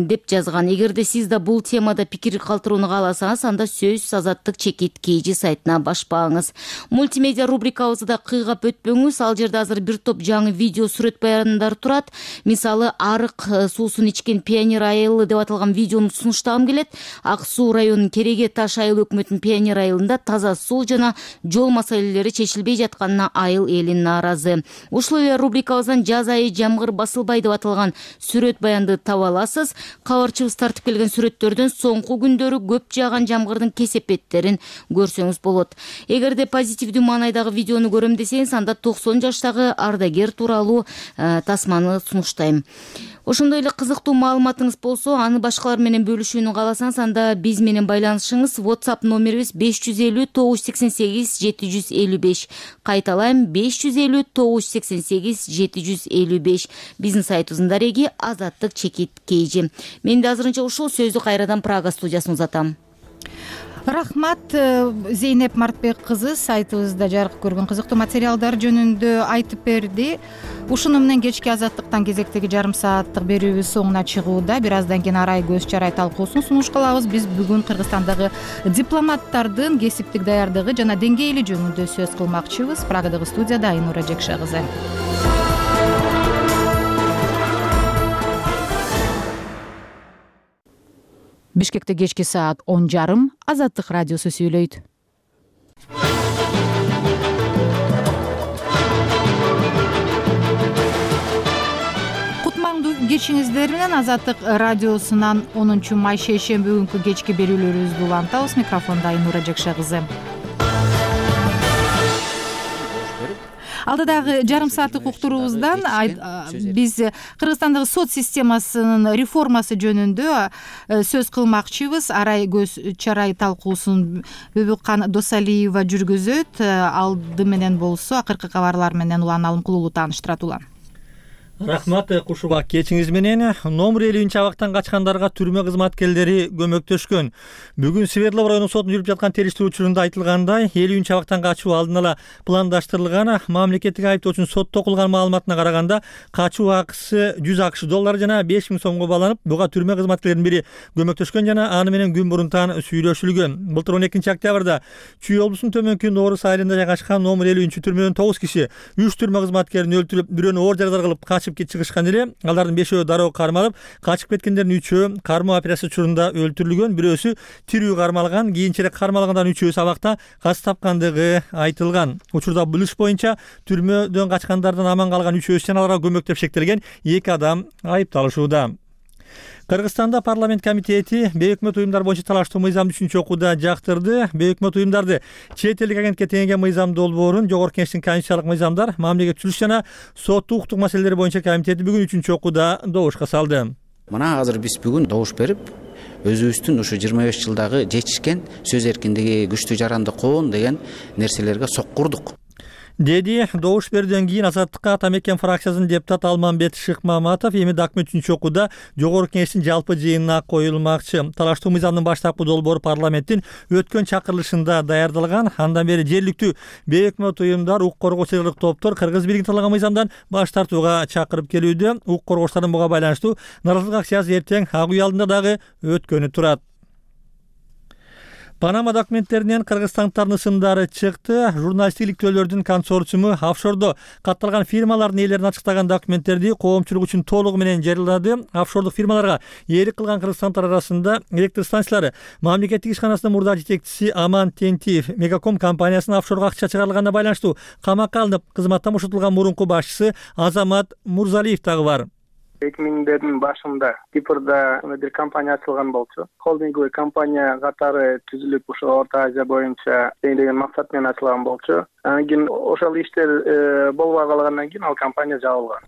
деп жазган. Эгерде сиз да бул темада пикир калтырууну кааласаңыз, анда сөз Азаттык чекит KG сайтына башпаңыз. Мультимедиа рубрикабызды да кыйгап өтпөңүз. Ал жерде азыр бир топ жаңы видео, сүрөт баяндар турат. Мисалы, арык суусун ичкен чечкен Пионер айылы деп аталган видеону сунуштагым келет. Ак Суу районунун Кереге Таш айыл өкмөтүнүн Пионер айылында таза суу жана жол маселелери чечилбей жатканына айыл эли нааразы. Ушул эле рубрикабыздан жаз айы жамгыр басылбай деп аталган сүрөт баянды таба аласыз. Кабарчыбыз тартып келген сүрөттөрдөн соңку күндөрү көп жааган жамгырдын кесепеттерин көрсөңүз болот. Эгерде позитивдүү маанайдагы видеону көрөм десеңиз, анда 90 жаштагы ардагер тууралуу тасманы сунуштайм. Ошондой эле кызыктуу маалыматыңыз болсо, аны башкалар менен бөлүшүүнү кааласаңыз, анда биз менен байланышыңыз. WhatsApp номерибиз 550 988 755. Кайталайм, 550 988 755. Биздин сайтыбыздын дареги Азаттык чекит кейжи. Мен да азырынча ушул сөздү кайрадан Прага студиясына узатам. Рахмат. Зейнеп Мартбек кызы сайтыбызда жарык көргөн кызыктуу материалдар жөнүндө айтып берди. Ушуну менен кечки Азаттыктан кезектеги жарым сааттык берүүбүз соңуна чыгууда. Бир аздан кийин арай көз чарай талкуусун сунуш кылабыз. Биз бүгүн Кыргызстандагы дипломаттардын кесиптик даярдыгы жана деңгээли жөнүндө сөз кылмакчыбыз. Прагадагы студияда Айнура Жекша кызы. Бишкекте кечки саат 10:30 Азаттык радиосу сүйлөйт. Кутмандуу кечиңиздер менен Азаттык радиосунан 10 май шейшемби күнкү кечки берүүлөрүбүздү улантабыз. Микрофондо Айнура Жекша кызы. Алдыдагы жарым сааттык уктуруубуздан биз Кыргызстандагы сот системасынын реформасы жөнүндө сөз кылмакчыбыз. Арай көз чарай талкуусун Бөбүккан Досалиева жүргүзөт. Алды менен болсо акыркы кабарлар менен Улан Алымкулуулу тааныштырат. Улан. Рахмат Кушуба, кечиңиз менен. Номер 50 абактан качкандарга түрмө кызматкерлери көмөктөшкөн. Бүгүн Свердлов районунун сотунда жүрүп жаткан териштирүү учурунда айтылгандай, 50 абактан качуу алдын ала пландаштырылган. Мамлекеттик айыптоочунун сотто окулган маалыматына караганда, качуу акысы 100 АКШ доллары жана 5000 сомго баланып, буга түрмө кызматкерлеринин бири көмөктөшкөн жана аны менен күн мурунтан сүйлөшүлгөн. Былтыр 12 октябрда Чүй облусунун төмөнкү Нооруз айылында жайгашкан номер 50 түрмөдөн 9 киши 3 түрмө кызматкерин өлтүрүп, бирөөнү оор жарадар кылып чыгышкан эле. Алардын 5өө дароо кармалып, качып кеткендердин 3өө кармоо операциясы учурунда өлтүрүлгөн, бирөөсү тирүү кармалган, кийинчерээк кармалгандан 3өө абакта каз тапкандыгы айтылган. Учурда бул иш боюнча түрмөдөн качкандардан аман калган 3өөсү жана аларга көмөктөп шектелген 2 адам айыпталышууда. Кыргызстанда парламент комитети бейөкмөт уюмдар боюнча талаштуу мыйзамды үчүнчү окууда жактырды. Бейөкмөт уюмдарды чет элдик агентке теңеген мыйзам долбоорун Жогорку Кеңештин конституциялык мыйзамдар, мамлекеттүүлүк жана соттук укуктук маселелери боюнча комитети бүгүн 3-чү окууда добушка салды. Мына азыр биз бүгүн добуш берип, өзүбүздүн ушу 25 жылдагы жетишкен сөз эркиндиги, күчтүү жаранды коон деген нерселерге соккурдук. Деди добуш берүүдөн кийин Азаттыкка Атамекен фракциясынын депутаты Алмамбет Шыкмаматов. Эми документ 3-чү окууда Жогорку Кеңештин жалпы жыйынына коюлмакчы. Талаштуу мыйзамдын баштапкы долбоору парламенттин өткөн чакырылышында даярдалган. Андан бери жергиликтүү бейөкмөт уюмдар, укук коргоочулук топтор Кыргыз бийлигин талкалаган мыйзамдан баш тартууга чакырып келүүдө. Укук коргоочулардын буга байланыштуу нааразылык акциясы эртең ак үй алдында дагы өткөнү турат. Панама документтеринен кыргызстандыктардын ысымдары чыкты. Журналисттик иликтөөлөрдүн консорциуму офшордо катталган фирмалардын ээлерин ачыктаган документтерди коомчулук үчүн толугу менен жарыялады. Офшордук фирмаларга ээлик кылган кыргызстандыктар арасында электр станциялары мамлекеттик ишканасынын мурда жетекчиси Аман Тентиев, Мегаком компаниясынын офшорго акча чыгарылганына байланыштуу камакка алынып, кызматтан бошотулган мурунку башчысы Азамат Мурзалиев дагы бар. 2000-дердин башында Кипрда бир компания ачылган болчу. Холдинговый компания катары түзүлүп, ошо Орто Азия боюнча деген максат менен ачылган болчу. Анан кийин ошол иштер болбой калгандан кийин ал компания жабылган.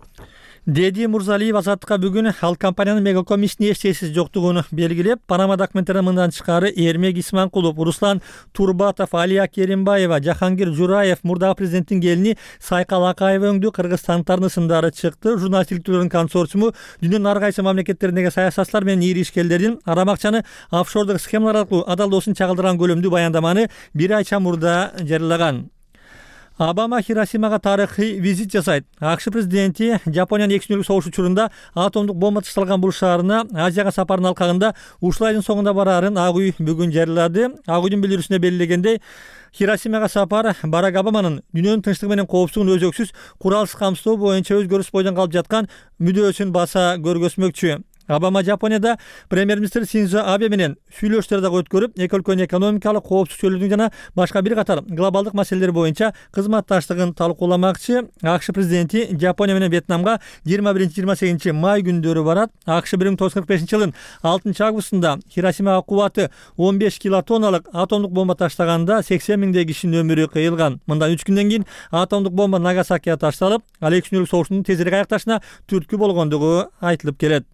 Деди Мурзалиев Азаттыкка бүгүн ал компаниянын Мегаком ишине эч тесиси жоктугун белгилеп, Панама документтеринен мындан тышкары Эрмек Исманкулов, Руслан Турбатов, Алия Керимбаева, Жахангир Жураев, мурдагы президенттин келини Сайкал Акаева өңдүү кыргызстандыктардын ысымдары чыкты. Журналисттик иликтөөлөрдүн консорциуму дүйнөнүн ар кайсы мамлекеттериндеги саясатчылар менен ири ишкерлердин арамакчаны офшордук схемалар аркылуу адалдоосун чагылдырган көлөмдүү баяндаманы бир ай чамурда жарыялаган. Обама Хиросимага тарыхый визит жасайт. АКШ президенти Жапониянын 2 күнлүк согуш учурунда атомдук бомба ташталган бул шаарына Азияга сапарынын алкагында ушул айдын соңунда бараарын Ак үй бүгүн жарыялады. Ак үйдүн билдирүүсүнө белгилегендей, Хиросимага сапар Барак Обаманын дүйнөнүн тынчтыгы менен коопсуздугун өзөксүз куралсыз камсыздоо боюнча өзгөрүс бойдон калып жаткан мүдөөсүн баса көргөзмөкчү. Обама Жапонияда премьер-министр Синдзо Абе менен сүйлөшүүлөр дагы өткөрүп, эки өлкөнүн экономикалык коопсуздук чөйрөдүн жана башка бир катар глобалдык маселелер боюнча кызматташтыгын талкууламакчы. АКШ президенти Жапония менен Вьетнамга 21-28 май күндөрү барат. АКШ 1945-жылдын 6 августунда Хиросимага кубаты 15 килотонналык атомдук бомба таштаганда 80 миңдей кишинин өмүрү кыйылган. Мындан 3 күндөн кийин атомдук бомба Нагасакиге ташталып, ал 2 күнлүк согуштун тезирээк аякташына түрткү болгондугу айтылып келет.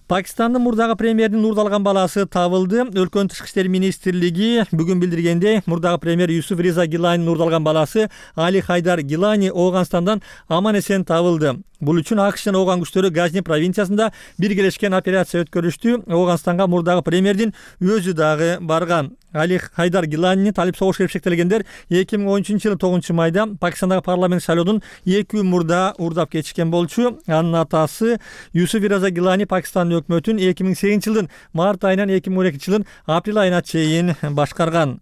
Пакистандын мурдагы премьердин уурдалган баласы табылды. Өлкөнүн тышкы иштер министрлиги бүгүн билдиргендей, мурдагы премьер Юсуф Риза Гиланинин уурдалган баласы Али Хайдар Гилани Ооганстандан аман-эсен табылды. Бул үчүн АКШ жана Ооган күчтөрү Газни провинциясында биргелешкен операция өткөрүштү. Ооганстанга мурдагы премьердин өзү дагы барган. Али Хайдар Гиланини талип согуш шектелгендер 2013-жылы 9 майда Пакистандагы парламент шайлоодун 2 күн мурда уурдап кетишкен болчу. Анын атасы Юсуф Риза Гилани Пакистандын өкмөтүн 2008-жылдын март айынан 2012-жылдын апрель айына чейин башкарган.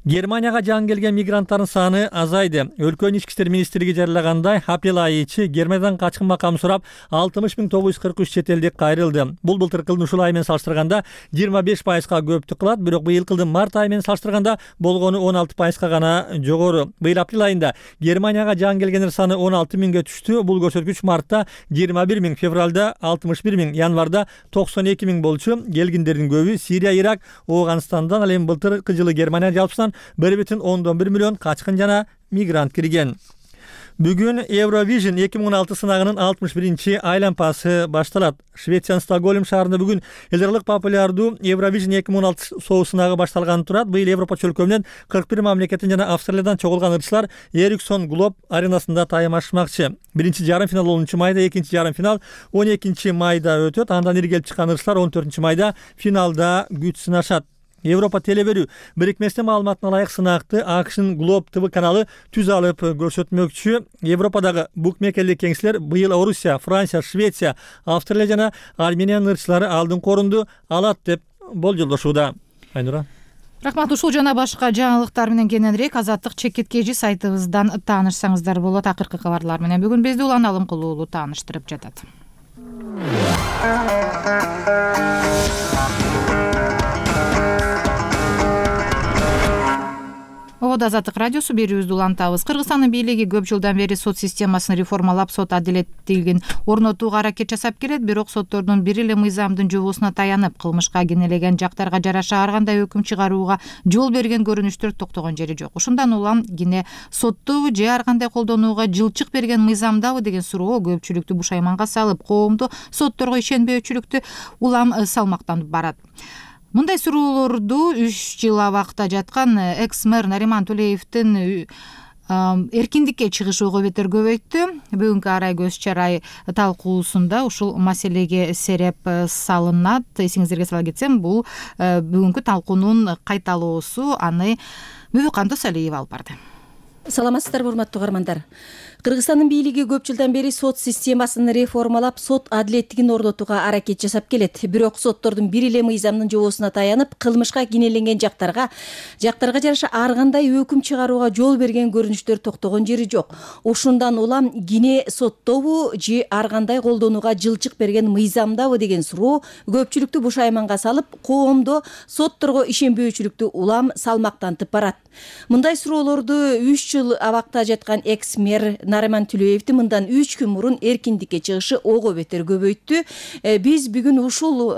Германияга жаңы келген мигранттардын саны азайды. Өлкөнүн ички иштер министрлиги жарыялагандай, апрель айы ичи Германиядан качкын макам сурап 60.943 чет элдик кайрылды. Бул былтыркы жылдын ушул айы менен салыштырганда 25%га көптүк кылат, бирок быйылкы жылдын март айы менен салыштырганда болгону 16%га гана жогору. Быйыл апрель айында Германияга жаңы келгендер саны 16 миңге түштү. Бул көрсөткүч мартта 21 миң, февралда 61 миң, январда 92 миң болчу. Келгендердин көбү Сирия, Ирак, Ооганстандан, ал эми былтыркы жылы Германия жалпысынан 1,1 миллион качкын жана мигрант кирген. Бүгүн Eurovision 2016 сынагынын 61-чи айлампасы башталат. Швециянын Стокгольм шаарында бүгүн эл аралык популярдуу Eurovision 2016 шоу сынагы башталган турат. Быйыл Европа чөлкөмүнөн 41 мамлекеттен жана Австралиядан чогулган ырчылар Ericsson Globe аренасында таймашмакчы. Биринчи жарым финал 10 майда, экинчи жарым финал 12 майда өтөт. Андан ири келип чыккан ырчылар 14 майда финалда күч сынашат. Европа телеберүү бирикмесинин маалыматына ылайык сынакты АКШнын Globe TV каналы түз алып көрсөтмөкчү. Европадагы букмекерлик кеңселер быйыл Орусия, Франция, Швеция, Австралия жана Армениянын ырчылары алдыңкы орунду алат деп болжолдошууда. Айнура. Рахмат. Ушул жана башка жаңылыктар менен кененирээк Азаттык чекиткечи сайтыбыздан таанышсаңыздар болот. Акыркы кабарлар менен бүгүн бизди Улан Алымкул уулу тааныштырып жатат. Ободо Азаттык радиосу берүүбүздү улантабыз. Кыргызстандын бийлиги көп жылдан бери сот системасын реформалап, сот адилеттүүлүгүн орнотууга аракет жасап келет, бирок соттордун бир эле мыйзамдын жобосуна таянып, кылмышка кенелеген жактарга жараша ар кандай өкүм чыгарууга жол берген көрүнүштөр токтогон жери жок. Ушундан улам кене соттобу же ар кандай колдонууга жылчык берген мыйзамдабы деген суроо көпчүлүктү бушайманга салып, коомду сотторго ишенбөөчүлүктү улам салмактанып барат. Мындай суроолорду 3 жыл абакта жаткан экс-мэр Нариман Тулеевдин эркиндикке чыгышы ого бетер көбөйттү. Бүгүнкү арай көз чарай талкуусунда ушул маселеге сереп салынат. Эсиңиздерге сала кетсем, бул бүгүнкү талкуунун кайталоосу, аны Мөбүкандос Алиев алып барды. Саламатсыздарбы, урматтуу угармандар. Кыргызстандын бийлиги көп жылдан бери сот системасын реформалап, сот адилеттигин орнотууга аракет жасап келет. Бирок соттордун бир эле мыйзамдын жобосуна таянып, кылмышка кенеленген жактарга жараша ар кандай өкүм чыгарууга жол берген көрүнүштөр токтогон жери жок. Ушундан улам кене соттобу же ар кандай колдонууга жылчык берген мыйзамдабы деген суроо көпчүлүктү бушайманга салып, коомдо сотторго ишенбөөчүлүктү улам салмактантып барат. Мындай суроолорду 3 жыл абакта жаткан экс-мэр Нариман Тулеевдин мындан 3 күн мурун эркиндикке чыгышы ого бетер көбөйттү. Биз бүгүн ушул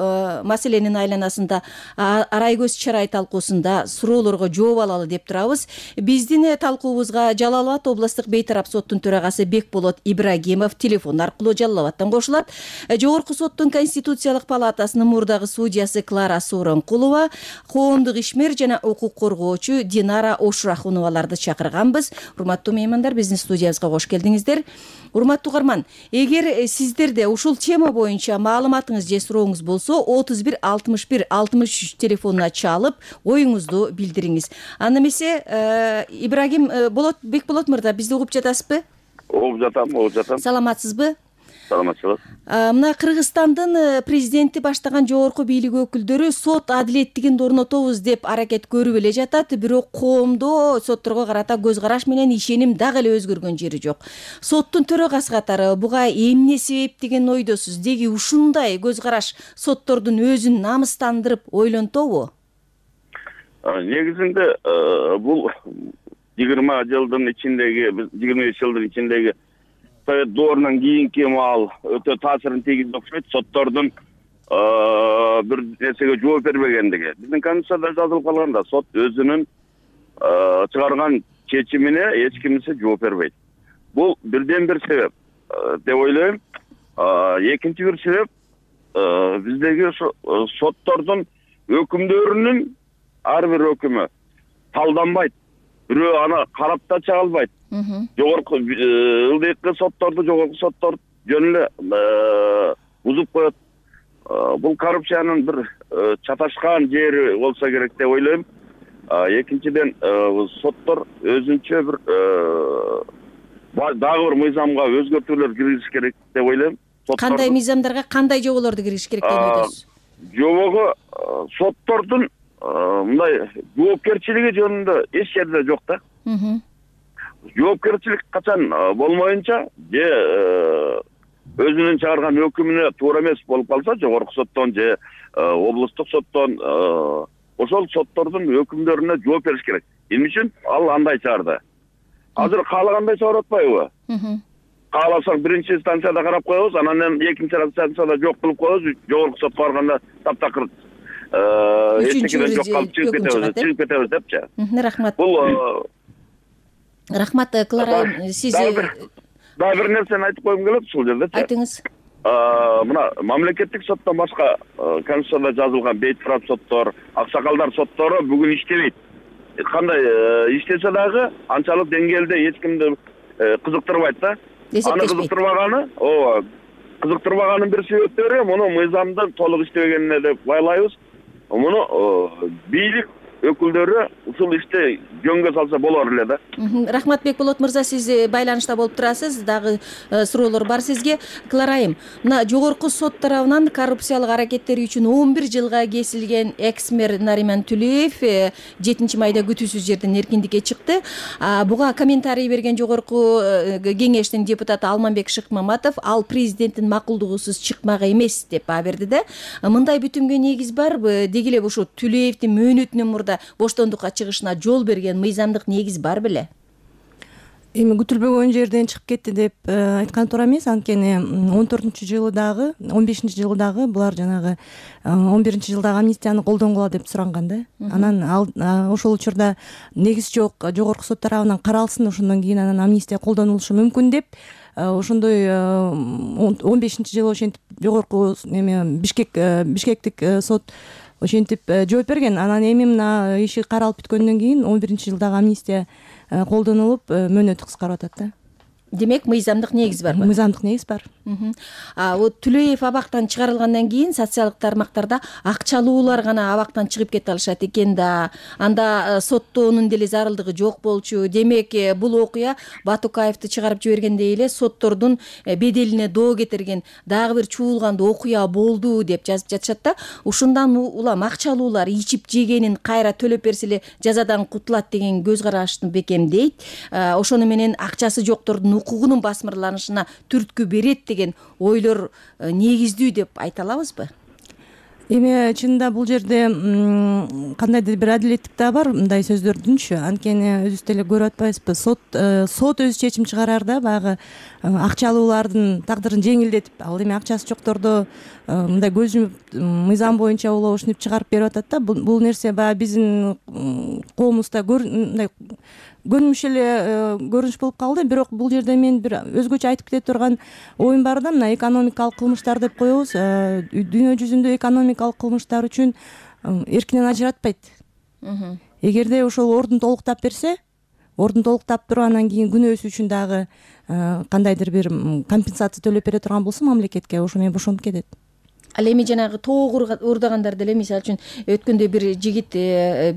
маселенин айланасында арай көз чарай талкуусунда суроолорго жооп алалы деп турабыз. Биздин талкуубузга Жалал Абад областтык бейтарап соттун төрагасы Бекболот Ибрагимов телефон аркылуу Жалал Абадтан кошулат. Жогорку соттун Конституциялык палатасынын мурдагы судьясы Клара Сооронкулова, коомдук ишмер жана укук коргоочу Динара Ошурахуноваларды чакырганбыз. Урматтуу меймандар, биздин студиябызга кош келдиңиздер. Урматтуу угарман, эгер сиздерде ушул тема боюнча маалыматыңыз же сурооңуз болсо, 31 61 63 телефонуна чалып, оюңузду билдириңиз. Аны эмесе Ибрагим Бекболот мырза, бизди угуп жатасызбы? Угуп жатам. Саламатсызбы? саламатчылык. Мына Кыргызстандын президенти баштаган жогорку бийлик өкүлдөрү сот адилеттигин орнотобуз деп аракет көрүп эле жатат, бирок коомдо сотторго карата көз караш менен ишеним дагы эле өзгөргөн жери жок. Соттун төрагасы катары буга эмне себеп деген ойдосуз? Деги ушундай көз караш соттордун өзүн намыстандырып ойлонтобу? Негизинде бул 20 жылдын ичиндеги, 25 жылдын ичиндеги Совет доорунан кийинки маал өтө таасирин тийгизип окшойт. Соттордун бир нерсеге жооп бербегендиги. Биздин конституцияда жазылып калганда сот өзүнүн чыгарган чечимине эч кимсе жооп бербейт. Бул бирден бир себеп деп ойлойм. Экинчи бир себеп биздеги соттордун өкүмдөрүнүн ар бир өкүмү талданбайт. Бирөө аны карап да чыга албайт. Жогорку ылдыйкы сотторду жогорку соттор жөн эле бузуп коет. Бул коррупциянын бир чаташкан жери болсо керек деп ойлойм. Экинчиден соттор өзүнчө бир дагы бир мыйзамга өзгөртүүлөр киргизиш керек деп ойлойм. Кандай мыйзамдарга, кандай жоболорду киргизиш керек деп ойлойсуз? Жобого соттордун мындай жоопкерчилиги жөнүндө эч жерде жок да. Жоопкерчилик качан болмоюнча же өзүнүн чыгарган өкүмүнө туура эмес болуп калса, жогорку соттон же облустук соттон ошол соттордун өкүмдөрүнө жооп бериш керек. Эмне үчүн ал андай чыгарды? Азыр каалагандай чыгарып атпайбы? Кааласаң биринчи станцияда карап коебуз, анан экинчи станцияда жок кылып коебуз, жогорку сотко барганда таптакыр эчтекеден жок калып чыгып кетебиз депчи. Рахмат. Бул Рахмат, Клара, сиз дагы бир нерсени айтып койгум келет ушул жердечи. Айтыңыз. Мына мамлекеттик соттон башка конституцияда жазылган бейитфрат соттор, аксакалдар соттору бүгүн иштебейт. Кандай иштесе дагы анчалык деңгээлде эч кимди кызыктырбайт да. Аны кызыктырбаганын бир себептери муну мыйзамдын толук иштебегенине деп байлайбыз. Муну бийлик өкүлдөрү ушул ишти жөнгө салса болор эле да. Рахматбек Болот мырза, сиз байланышта болуп турасыз. Дагы суроолор бар сизге. Кларайым, мына жогорку сот тарабынан коррупциялык аракеттери үчүн 11 жылга кесилген экс-мэр Нариман Түлеев 7 майда күтүүсүз жерден эркиндикке чыкты. Буга комментарий берген жогорку кеңештин депутаты Алманбек Шыкмаматов ал президенттин макулдугусуз чыкмак эмес деп баа берди да. Мындай бүтүмгө негиз барбы? Деги эле ушу Түлеевдин мөөнөтүнөн мурда боштондукка чыгышына жол берген мыйзамдык негиз бар беле? Эми күтүлбөгөн жерден чыгып кетти деп айткан туура эмес. Анткени 14-жылы дагы, 15-жылы дагы булар жанагы 11-жылдагы амнистияны колдонгула деп суранган да. Анан ошол учурда негиз жок, жогорку сот тарабынан каралсын, ошондон кийин анан амнистия колдонулушу мүмкүн деп ошондой 15-жылы ошентип жогорку Бишкектик сот ошентип жооп берген. Анан эми мына иши каралып бүткөндөн кийин 11-жылдагы амнистия колдонулуп мөөнөтү кыскарып атат да. Демек мыйзамдык негиз барбы? Мыйзамдык негиз бар. Түлеев абактан чыгарылгандан кийин социалдык тармактарда акчалуулар гана абактан чыгып кете алышат экен да. Анда соттоонун деле зарылдыгы жок болчу. Демек бул окуя Батукаевди чыгарып жибергендей эле соттордун беделине доо кетирген дагы бир чуулгандуу окуя болду деп жазып жатышат да. Ушундан улам акчалуулар ичип жегенин кайра төлөп берсе эле жазадан кутулат деген көз карашты бекемдейт. Ошону менен акчасы жоктордун укугунун басмырланышына түрткү берет деген ойлор негиздүү деп айта алабызбы? Эми чынында бул жерде кандайдыр бир адилеттик да бар мындай сөздөрдүнчү. Анткени өзүбүз деле көрүп атпайбызбы? Сот өзү чечим чыгарарда баягы акчалуулардын тагдырын жеңилдетип, ал эми акчасы жокторду мындай көз жумуп мыйзам боюнча улоо ушинтип чыгарып берип атат да. Бул нерсе баягы биздин коомубузда мындай көрүнүш эле көрүнүш болуп калды. Бирок бул жерде мен бир өзгөчө айтып кете турган оюм бар да. Мына экономикалык кылмыштар деп коебуз. Дүйнө жүзүндө экономикалык кылмыштар үчүн эркинен ажыратпайт. Эгерде ошол ордун толуктап берсе, ордун толуктап туруп анан кийин күнөөсү үчүн дагы кандайдыр бир компенсация төлөп бере турган болсо мамлекетке, ошо менен бошонуп кетет. Ал эми жанагы тоок уурдагандар деле мисалы үчүн өткөндө бир жигит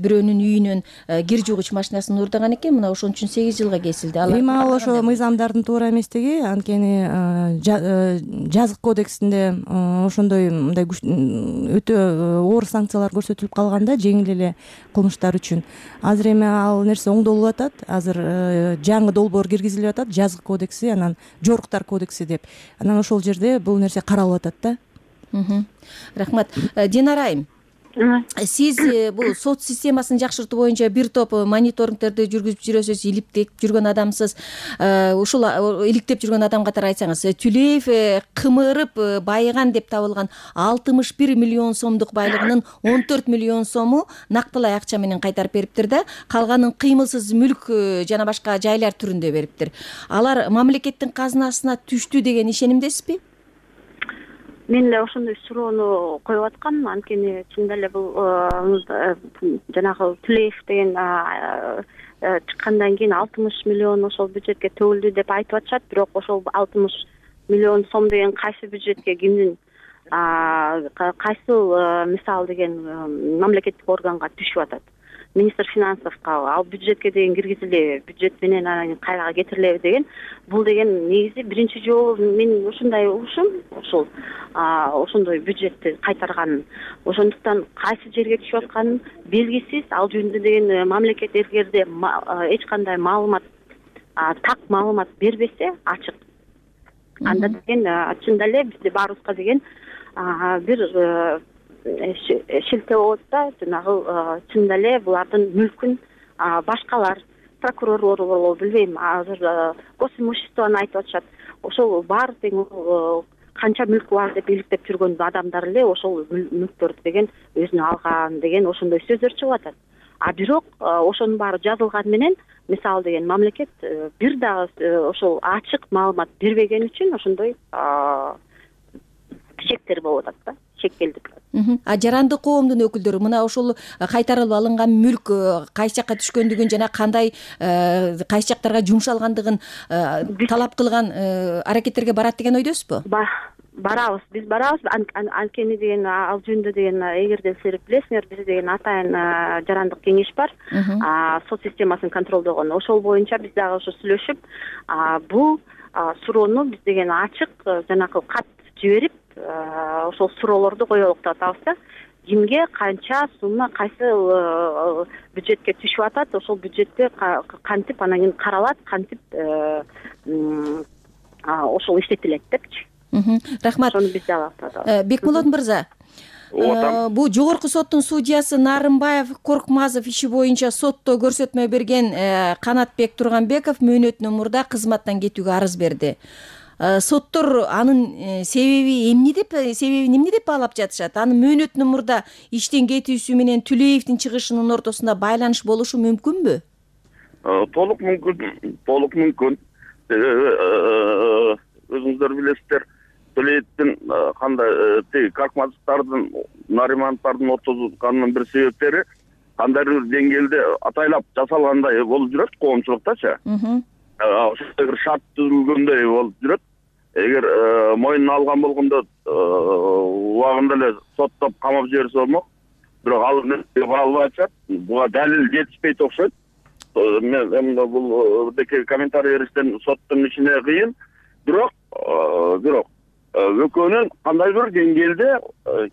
бирөөнүн үйүнөн кир жуугуч машинасын уурдаган экен, мына ошон үчүн 8 жылга кесилди. Эми ал ошо мыйзамдардын туура эместиги, анткени жазык кодексинде ошондой мындай өтө оор санкциялар көрсөтүлүп калган да, жеңил эле кылмыштар үчүн. Азыр эми ал нерсе оңдолуп атат. Азыр жаңы долбоор киргизилип атат, жазык кодекси, анан жоруктар кодекси деп. Анан ошол жерде бул нерсе каралып атат да. Рахмат. Динара айым, сиз бул сот системасын жакшыртуу боюнча бир топ мониторингтерди жүргүзүп жүрөсүз, иликтеп жүргөн адамсыз. Ушул иликтеп жүргөн адам катары айтсаңыз, Түлеев кымырып байыган деп табылган 61 миллион сомдук байлыгынын 14 миллион сому нактылай акча менен кайтарып бериптир да, калганын кыймылсыз мүлк жана башка жайлар түрүндө бериптир. Алар мамлекеттин казынасына түштү деген ишенимдесизби? Мен эле ошондой суроону коюп аткам, анткени чындап эле бул жанагы Түлеев деген чыккандан кийин 60 миллион ошол бюджетке төгүлдү деп айтып атышат, бирок ошол 60 миллион сом деген кайсы бюджетке, кимдин кайсыл мисал деген мамлекеттик органга түшүп атат? Министр финансовго, ал бюджетке деген киргизилеби, бюджет менен анан кайрага кетирилеби деген, бул деген негизи биринчи жолу мен ушундай угушум, ушул ошондой бюджетти кайтарганын. Ошондуктан кайсы жерге түшүп атканын белгисиз, ал жөнүндө деген мамлекет эгерде эч кандай маалымат, так маалымат бербесе, ачык, анда деген чындап эле бизде баарыбызга деген бир шилтөө болот да, жанагы чындап эле булардын мүлкүн башкалар, прокурорлор болобу билбейм, азыр госимуществону айтып атышат. Ошол баары тең канча мүлкү бар деп иликтеп жүргөн адамдар эле ошол мүлктөрдү деген өзүнө алган деген ошондой сөздөр чыгып атат. Бирок ошонун баары жазылган менен, мисалы деген мамлекет бир дагы ошол ачык маалымат бербеген үчүн ошондой чектер болуп атат да, шекелдик. Жарандык коомдун өкүлдөрү мына ошол кайтарылып алынган мүлк кайсы жакка түшкөндүгүн жана кандай кайсы жактарга жумшалгандыгын талап кылган аракеттерге барат деген ойдосузбу? Барабыз, биз барабыз. Анткени деген ал жөнүндө деген эгерде силер билесиңер, бизде деген атайын жарандык кеңеш бар, сот системасын контролдогон. Ошол боюнча биз дагы ошо сүйлөшүп, бул суроону биз деген ачык жанагы кат жиберип, ошол суроолорду коелук деп атабыз да. Кимге канча сумма кайсы бюджетке түшүп атат, ошол бюджетте кантип анан кийин каралат, кантип ошол иштетилет депчи. Рахмат. Ошону биз да Бекмулат мырза, бул жогорку соттун судьясы Нарымбаев Коркмазов иши боюнча сотто көрсөтмө берген Канатбек Турганбеков мөөнөтүнөн мурда кызматтан кетүүгө арыз берди. Соттор анын себебин эмне деп баалап жатышат? Анын мөөнөтүнөн мурда иштен кетүүсү менен Түлеевдин чыгышынын ортосунда байланыш болушу мүмкүнбү? Толук мүмкүн. Өзүңүздөр билесиздер, Түлеевдин кандай тиги Коркмазовдордун, Наримановдордун отузганынын бир себептери кандайдыр бир деңгээлде атайлап жасалгандай болуп жүрөт коомчулуктачы. Ошондой бир шарт түзүлгөндөй болуп жүрөт. Эгер мойнуна алган болгондо убагында эле соттоп камап жиберсе болмок. Бирок ал бара албай атышат. Буга далил жетишпейт окшойт. Мен бул деке комментарий бериштен соттун ишине кыйын. Бирок экөөнүн кандай бир деңгээлде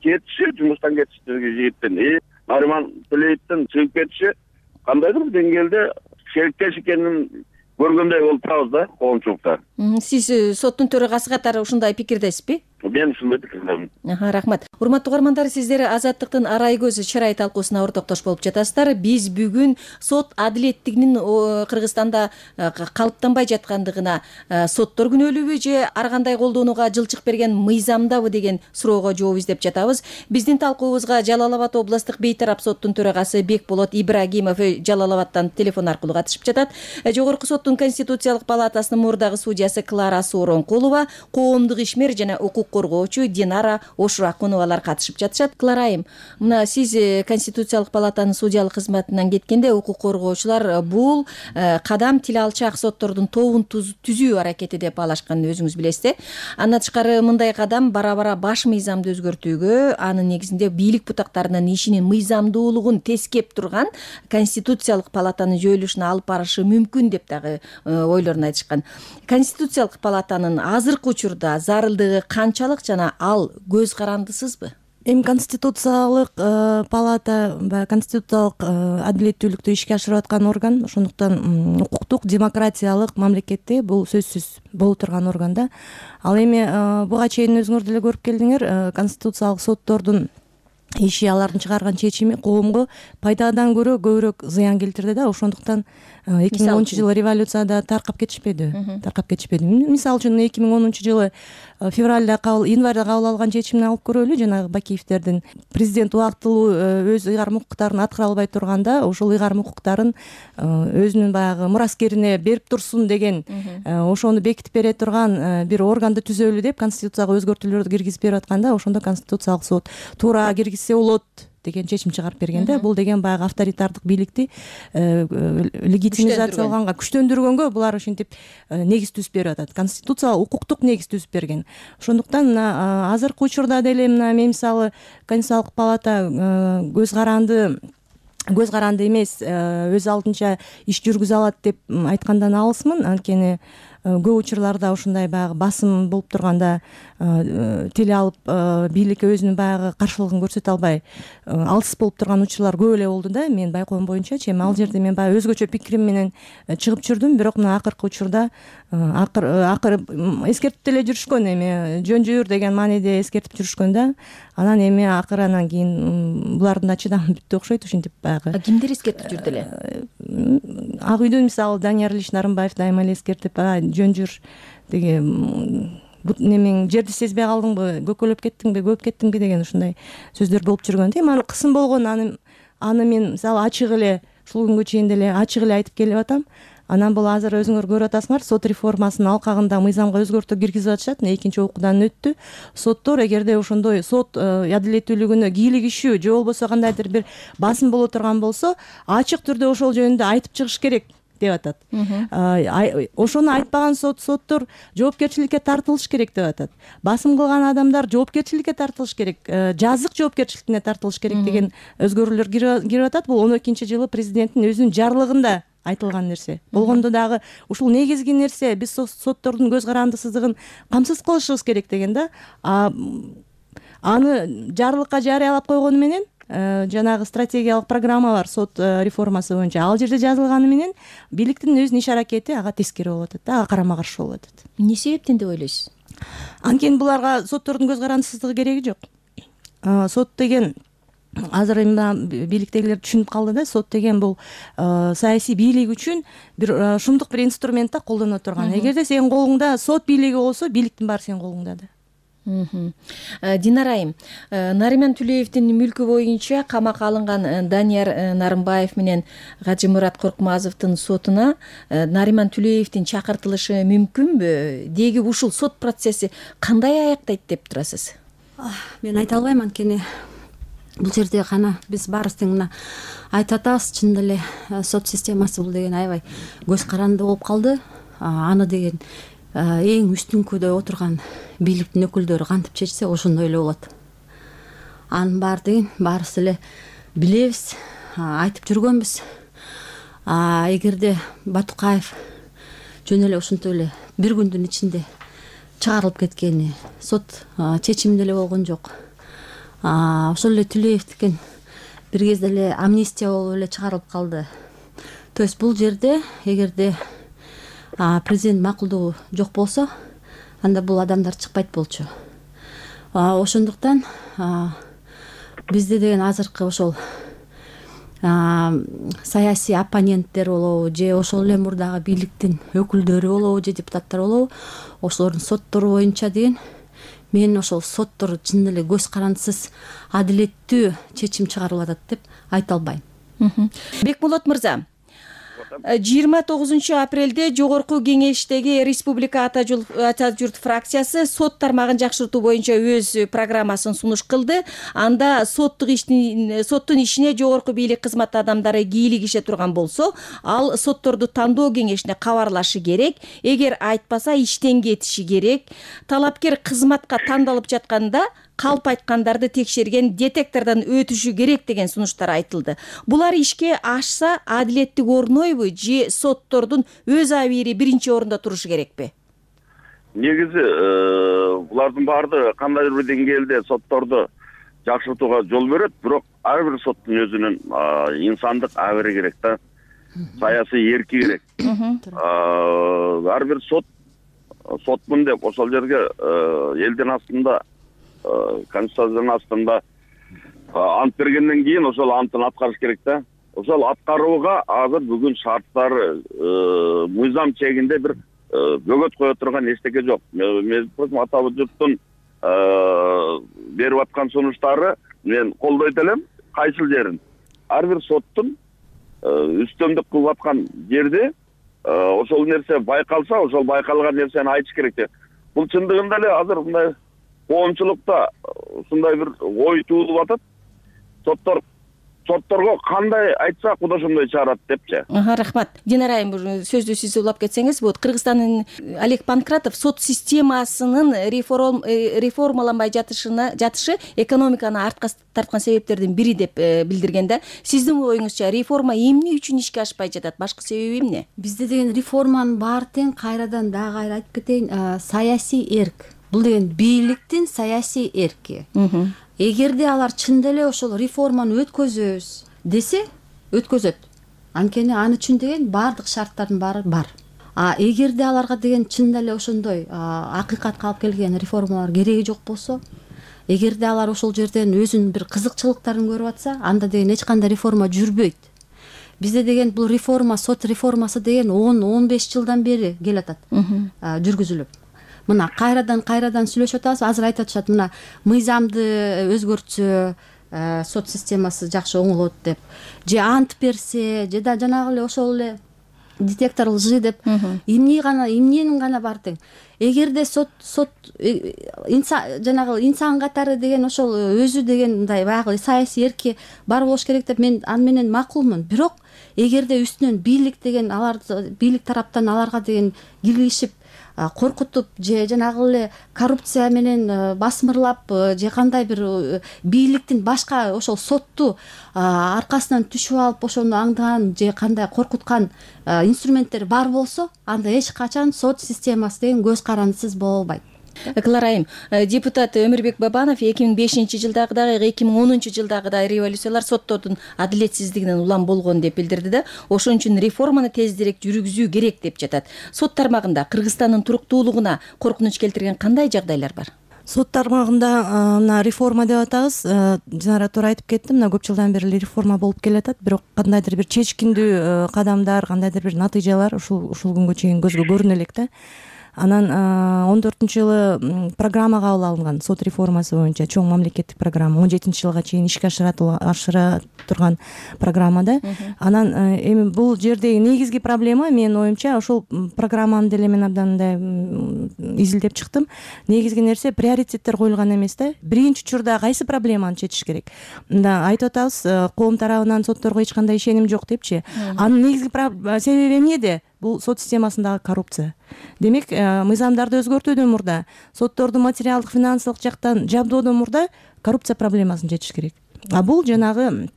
кетиши, жумуштан кетиши жигиттин, Нариман Түлеевдин чыгып кетиши кандайдыр бир деңгээлде шериктеш экенин көргөндөй болуп турабыз да коомчулукта. Сиз соттун төрагасы катары ушундай пикирдесизби? Мен ушундай пикирдемин. Рахмат. Урматтуу угармандар, сиздер Азаттыктын Арай көз чырай талкуусуна ортоктош болуп жатасыздар. Биз бүгүн сот адилеттигинин Кыргызстанда калыптанбай жаткандыгына, соттор күнөөлүүбү же ар кандай колдонууга жылчык берген мыйзамдабы деген суроого жооп издеп жатабыз. Биздин талкуубузга Жалал Абад областык бейтарап соттун төрагасы Бекболот Ибрагимов Жалал Абадтан телефон аркылуу катышып жатат. Жогорку соттун Конституциялык палатасынын мурдагы судьясы Клара Сооронкулова, коомдук ишмер жана укук коргоочу Динара Ошуракуновалар катышып жатышат. Клара айым, мына сиз Конституциялык палатанын судьялык кызматынан кеткенде укук коргоочулар бул кадам тил алчак соттордун тобун түзүү аракети деп баалашканын өзүңүз билесиз. Андан тышкары мындай кадам бара баш мыйзамды өзгөртүүгө, анын негизинде бийлик бутактарынын ишинин мыйзамдуулугун тескеп турган Конституциялык палатанын жоюлушуна алып барышы мүмкүн деп дагы ойлорун айтышкан. Конституциялык палатанын азыркы учурда зарылдыгы канчалык жана ал көз карандысызбы? Эми конституциялык палата баягы конституциялык адилеттүүлүктү ишке ашырып аткан орган, ошондуктан укуктук демократиялык мамлекетте бул сөзсүз боло турган орган да. Ал эми буга чейин өзүңөр деле көрүп келдиңер, конституциялык соттордун иши, алардын чыгарган чечими коомго пайдадан көрө көбүрөөк зыян келтирди да. Ошондуктан 2010-жылы революцияда таркап кетишпеди. Мисалы үчүн 2010-жылы январда кабыл алган чечимди алып көрөлү. Жанагы Бакиевдердин президент убактылуу өз ыйгарым укуктарын аткара албай турганда, ошол ыйгарым укуктарын өзүнүн баягы мураскерине берип турсун деген, ошону бекитип бере турган бир органды түзөлү деп конституцияга өзгөртүүлөрдү киргизип берип атканда, ошондо конституциялык сот туура киргизсе болот деген чечим чыгарып берген да. Бул деген баягы авторитардык бийликти легитимизациялаганга, күчтөндүргөнгө булар ушинтип негиз түзүп берип атат. Конституция укуктук негиз түзүп берген. Ошондуктан мына азыркы учурда деле мына мен мисалы Конституциялык палата көз каранды эмес, өз алдынча иш жүргүзө алат деп айткандан алысмын. Анткени көп учурларда ушундай баягы басым болуп турганда тил алып бийликке өзүнүн баягы каршылыгын көрсөтө албай алыс болуп турган учурлар көп эле болду да. Мен байкоом боюнчачы, эми ал жерде мен баягы өзгөчө пикирим менен чыгып жүрдүм, бирок мына акыркы учурда акыры эскертип деле жүрүшкөн, эми жөн жүр деген мааниде эскертип жүрүшкөн да. Анан эми акыры анан кийин булардын да чыдамы бүттү окшойт, ушинтип баягы. Кимдер эскертип жүрдү эле? Ак үйдөн мисалы Данияр Ильич Нарымбаев дайыма эле эскертип, жөн жүр деген, немең жерди сезбей калдыңбы, көкөлөп кеттиңби, көп кеттиңби деген ушундай сөздөр болуп жүргөн. Эми аны кысым болгон, аны мен мисалы ачык эле ушул күнгө чейин деле ачык эле айтып келип атам. Анан бул азыр өзүңөр көрүп атасыңар, сот реформасынын алкагында мыйзамга өзгөртүү киргизип атышат. Экинчи окуудан өттү. Соттор эгерде ошондой сот адилеттүүлүгүнө кийлигишүү же болбосо кандайдыр бир басым боло турган болсо, ачык түрдө ошол жөнүндө айтып чыгыш керек деп атат. Ошону айтпаган соттор жоопкерчиликке тартылыш керек деп атат. Басым кылган адамдар жоопкерчиликке тартылыш керек, жазык жоопкерчиликке тартылыш керек деген өзгөрүүлөр кирип атат. Бул 12-жылы президенттин өзүнүн жарлыгында айтылган нерсе. Болгондо дагы ушул негизги нерсе, биз соттордун көз карандысыздыгын камсыз кылышыбыз керек деген да. Аны жарлыкка жарыялап койгону менен, жанагы стратегиялык программа бар сот реформасы боюнча, ал жерде жазылганы менен бийликтин өзүнүн иш аракети ага тескери болуп атат да, ага карама каршы болуп атат. Эмне себептен деп ойлойсуз? Анткени буларга соттордун көз карандысыздыгы кереги жок. Сот деген азыр эми бийликтегилер түшүнүп калды да, сот деген бул саясий бийлик үчүн бир шумдук бир инструмент да, колдоно турган. Эгерде сенин колуңда сот бийлиги болсо, бийликтин баары сенин колуңда да. Динара айым, Нариман Түлеевдин мүлкү боюнча камакка алынган Данияр Нарымбаев менен Кажымурат Коркмазовдун сотуна Нариман Түлеевдин чакыртылышы мүмкүнбү? Деги ушул сот процесси кандай аяктайт деп турасыз? Мен айта албайм, анткени бул жерде кана биз баарыбыз тең мына айтып атабыз, чын деле сот системасы бул деген аябай көз каранды болуп калды. Аны деген эң үстүңкүдө отурган бийликтин өкүлдөрү кантип чечсе ошондой эле болот. Анын баары деген баарыбыз эле билебиз, айтып жүргөнбүз. Эгерде Батукаев жөн эле ушинтип эле бир күндүн ичинде чыгарылып кеткени, сот чечими деле болгон жок. Ошол эле Түлеевдикен бир кезде эле амнистия болуп эле чыгарылып калды. То есть бул жерде эгерде президент макулдугу жок болсо, анда бул адамдар чыкпайт болчу. Ошондуктан бизде деген азыркы ошол саясий оппоненттер болобу же ошол эле мурдагы бийликтин өкүлдөрү болобу же депутаттар болобу, ошолордун соттору боюнча деген мен ошол соттор чын эле көз карандысыз адилеттүү чечим чыгарылып атат деп айта албайм. Бекболот мырза, 29 апрелде жогорку кеңештеги республика ата журт фракциясы сот тармагын жакшыртуу боюнча өз программасын сунуш кылды. Анда соттун ишине жогорку бийлик кызмат адамдары кийлигише турган болсо, ал сотторду тандоо кеңешине кабарлашы керек. Эгер айтпаса иштен кетиши керек. Талапкер кызматка тандалып жатканда калп айткандарды текшерген детектордон өтүшү керек деген сунуштар айтылды. Булар ишке ашса адилеттик орнойбу же соттордун өз абийири биринчи орунда турушу керекпи? Негизи булардын баардыгы кандайдыр бир деңгээлде сотторду жакшыртууга жол берет, бирок ар бир соттун өзүнүн инсандык абийири керек да. Саясий эрки керек. Ар бир сотмун деп ошол жерге элдин астында конституциянын астында ант бергенден кийин ошол антын аткарыш керек да. Ошол аткарууга азыр бүгүн шарттары мыйзам чегинде бир бөгөт кое турган эчтеке жок. Мен ата журттун берип аткан сунуштары мен колдойт элем. Кайсыл жерин ар бир соттун үстөмдүк кылып аткан жерде ошол нерсе байкалса, ошол байкалган нерсени айтыш керек деп. Бул чындыгында эле азыр мындай коомчулукта ушундай бир ой туулуп атат. Сотторго кандай айтса Кудо ошондой чыгарат депчи. Рахмат. Динара айым, сөздү сиз улап кетсеңиз болот. Кыргызстандын Олег Панкратов сот системасынын реформаланбай жатышы экономиканы артка тарткан себептердин бири деп билдирген да. Сиздин оюңузча реформа эмне үчүн ишке ашпай жатат? Башкы себеби эмне? Бизде деген реформанын баары тең кайрадан дагы кайра айтып кетейин, саясий эрк. Бул деген бийликтин саясий эрки. Эгерде алар чында эле ошол реформаны өткөзөбүз десе, өткөзөт. Анткени аны үчүн деген баардык шарттардын баары бар. Эгерде аларга деген чында эле ошондой акыйкатка алып келген реформалар кереги жок болсо, эгерде алар ошол жерден өзүнүн бир кызыкчылыктарын көрүп атса, анда деген эч кандай реформа жүрбөйт. Бизде деген бул реформа, сот реформасы деген 10-15 жылдан бери келатат, жүргүзүлүп. Мына кайрадан сүйлөшүп атабыз. Азыр айтып атышат, мына мыйзамды өзгөртсө сот системасы жакшы оңолот деп. Же ант берсе, же да жанагы эле ошол эле детектор лжи деп эмненин гана бар тең. Эгерде сот жанагы инсан катары деген ошол өзү деген мындай баягы саясий эрки бар болуш керек деп мен аны менен макулмун. Бирок эгерде үстүнөн бийлик деген бийлик тараптан аларга деген киргизип коркутуп же жанагы эле коррупция менен басмырлап же кандай бир бийликтин башка ошол сотту аркасынан түшүп алып ошону аңдаган же кандай коркуткан инструменттер бар болсо, анда эч качан сот системасы деген көз карандысыз боло албайт. Клара айым, депутат Өмүрбек Бабанов 2005-жылдагыдай, 2010-жылдагыдай революциялар соттордун адилетсиздигинен улам болгон деп билдирди да, ошон үчүн реформаны тездирээк жүргүзүү керек деп жатат. Сот тармагында Кыргызстандын туруктуулугуна коркунуч келтирген кандай жагдайлар бар? Сот тармагында мына реформа деп атабыз. Динара туура айтып кетти, мына көп жылдан бери реформа болуп келатат, бирок кандайдыр бир чечкиндүү кадамдар, кандайдыр бир натыйжалар ушул күнгө чейин көзгө көрүнө элек да. Анан 14-жылы программа кабыл алынган сот реформасы боюнча, чоң мамлекеттик программа, 17-жылга чейин ишке ашыра турган программада. Анан эми бул жердеги негизги проблема менин оюмча, ошол программаны деле мен абдан изилдеп чыктым. Негизги нерсе приоритеттер коюлган эмес да. Биринчи учурда кайсы проблеманы чечиш керек? Мында айтып атабыз, коом тарабынан сотторго эч кандай ишеним жок депчи. Анын негизги себеби эмнеде? Бул сот системасындагы коррупция. Демек, мыйзамдарды өзгөртүүдөн мурда, сотторду материалдык, финансылык жактан жабдоодон мурда коррупция проблемасын чечиш керек. Бул жанагы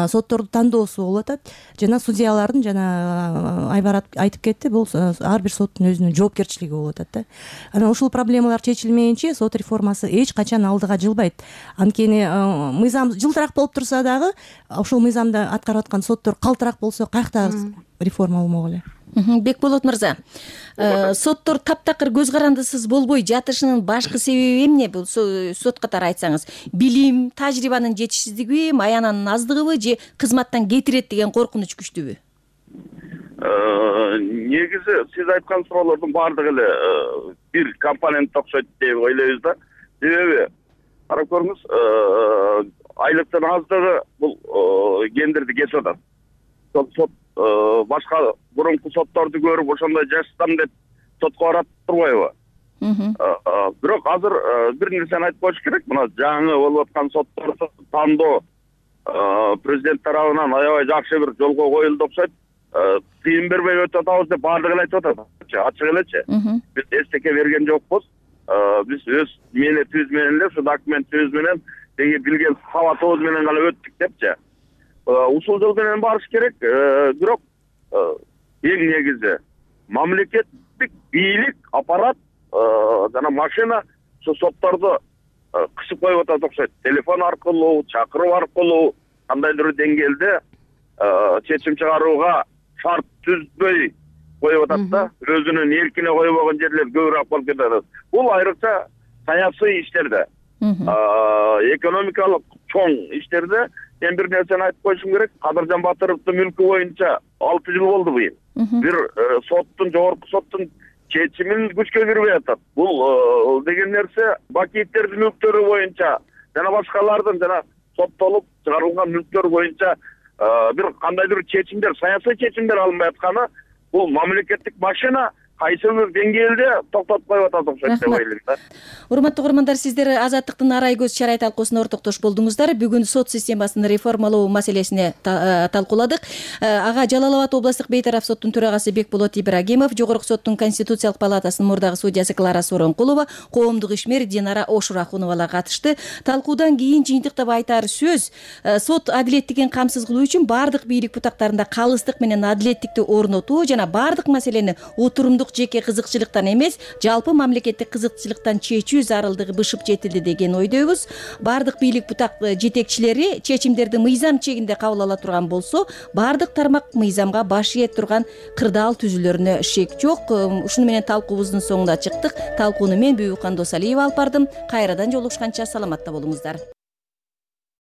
сотторду тандоосу болуп атат. Жана судьялардын, жана Айбар айтып кетти, бул ар бир соттун өзүнүн жоопкерчилиги болуп атат да. Анан ушул проблемалар чечилмейинче сот реформасы эч качан алдыга жылбайт. Анткени мыйзам жылтыраак болуп турса дагы, ошол мыйзамды аткарып аткан соттор калтыраак болсо, каяктагы реформа болмок эле. Бекболот мырза, соттор таптакыр көз карандысыз болбой жатышынын башкы себеби эмне? Бул сот катары айтсаңыз, билим, тажрыйбанын жетишсиздигиби, маянанын аздыгыбы же кызматтан кетирет деген коркунуч күчтүүбү? Негизи сиз айткан суроолордун баардыгы эле бир компонентке окшойт деп ойлойбуз да. Себеби карап көрүңүз, айлыктын аздыгы бул гендерди кесип атат. Сот башка мурунку сотторду көрүп ошондой жашасам деп сотко барат турбайбы? Бирок азыр бир нерсени айтып коюш керек. Мына жаңы болуп аткан сотторду тандоо президент тарабынан аябай жакшы бир жолго коюлду окшойт. Тыйын бербей өтүп атабыз деп баардыгы эле айтып атат. Ачык элечи. Биз эстеке берген жокпуз. Биз өз мээнетибиз менен эле ушу документибиз менен деги билген сабатыбыз менен гана өттүк депчи. Ушул жол менен барыш керек. Бирок эң негизи мамлекеттик бийлик, аппарат жана машина ушу сотторду кысып коюп атат окшойт. Телефон аркылуу, чакыруу аркылуу кандайдыр деңгээлде чечим чыгарууга шарт түзбөй коюп атат да. Өзүнүн эркине койбогон жерлер көбүрөөк болуп кетет. Бул айрыкча саясий иштерде, экономикалык чоң иштерде мен бир нерсени айтып коюшум керек. Кадыржан Батыровдун мүлкү боюнча 6 жыл болду быйыл. Бир соттун, жогорку соттун чечимин күчкө кирбей атат. Бул деген нерсе Бакиевдердин мүлктөрү боюнча жана башкалардын жана соттолуп чыгарылган мүлктөр боюнча бир кандайдыр чечимдер, саясий чечимдер алынбай атканы бул мамлекеттик машина кайсы бир деңгээлде токтотуп коюп атат окшойт деп ойлойм да. Урматтуу угармандар, сиздер Азаттыктын Арай көз чарай талкуусуна ортоктош болдуңуздар. Бүгүн сот системасын реформалоо маселесине талкууладык. Ага Жалал Абад областык бейтараф соттун төрагасы Бекболот Ибрагимов, Жогорку соттун Конституциялык палатасынын мурдагы судьясы Клара Сооронкулова, коомдук ишмер Динара Ошурахуновалар катышты. Талкуудан кийин жыйынтыктап айтаар сөз, сот адилеттигин камсыз кылуу үчүн бардык бийлик бутактарында калыстык менен адилеттикти орнотуу жана бардык маселени отурумдук жеке кызыкчылыктан эмес, жалпы мамлекеттик кызыкчылыктан чечүү зарылдыгы бышып жетилди деген ойдойбуз. Бардык бийлик бутак жетекчилери чечимдерди мыйзам чегинде кабыл ала турган болсо, бардык тармак мыйзамга баш ээ турган кырдаал түзүлөрүнө шек жок. Ушуну менен талкуубуздун соңуна чыктык. Талкууну мен Бүбүкан Досалиева алып бардым. Кайрадан жолугушканча саламатта болуңуздар.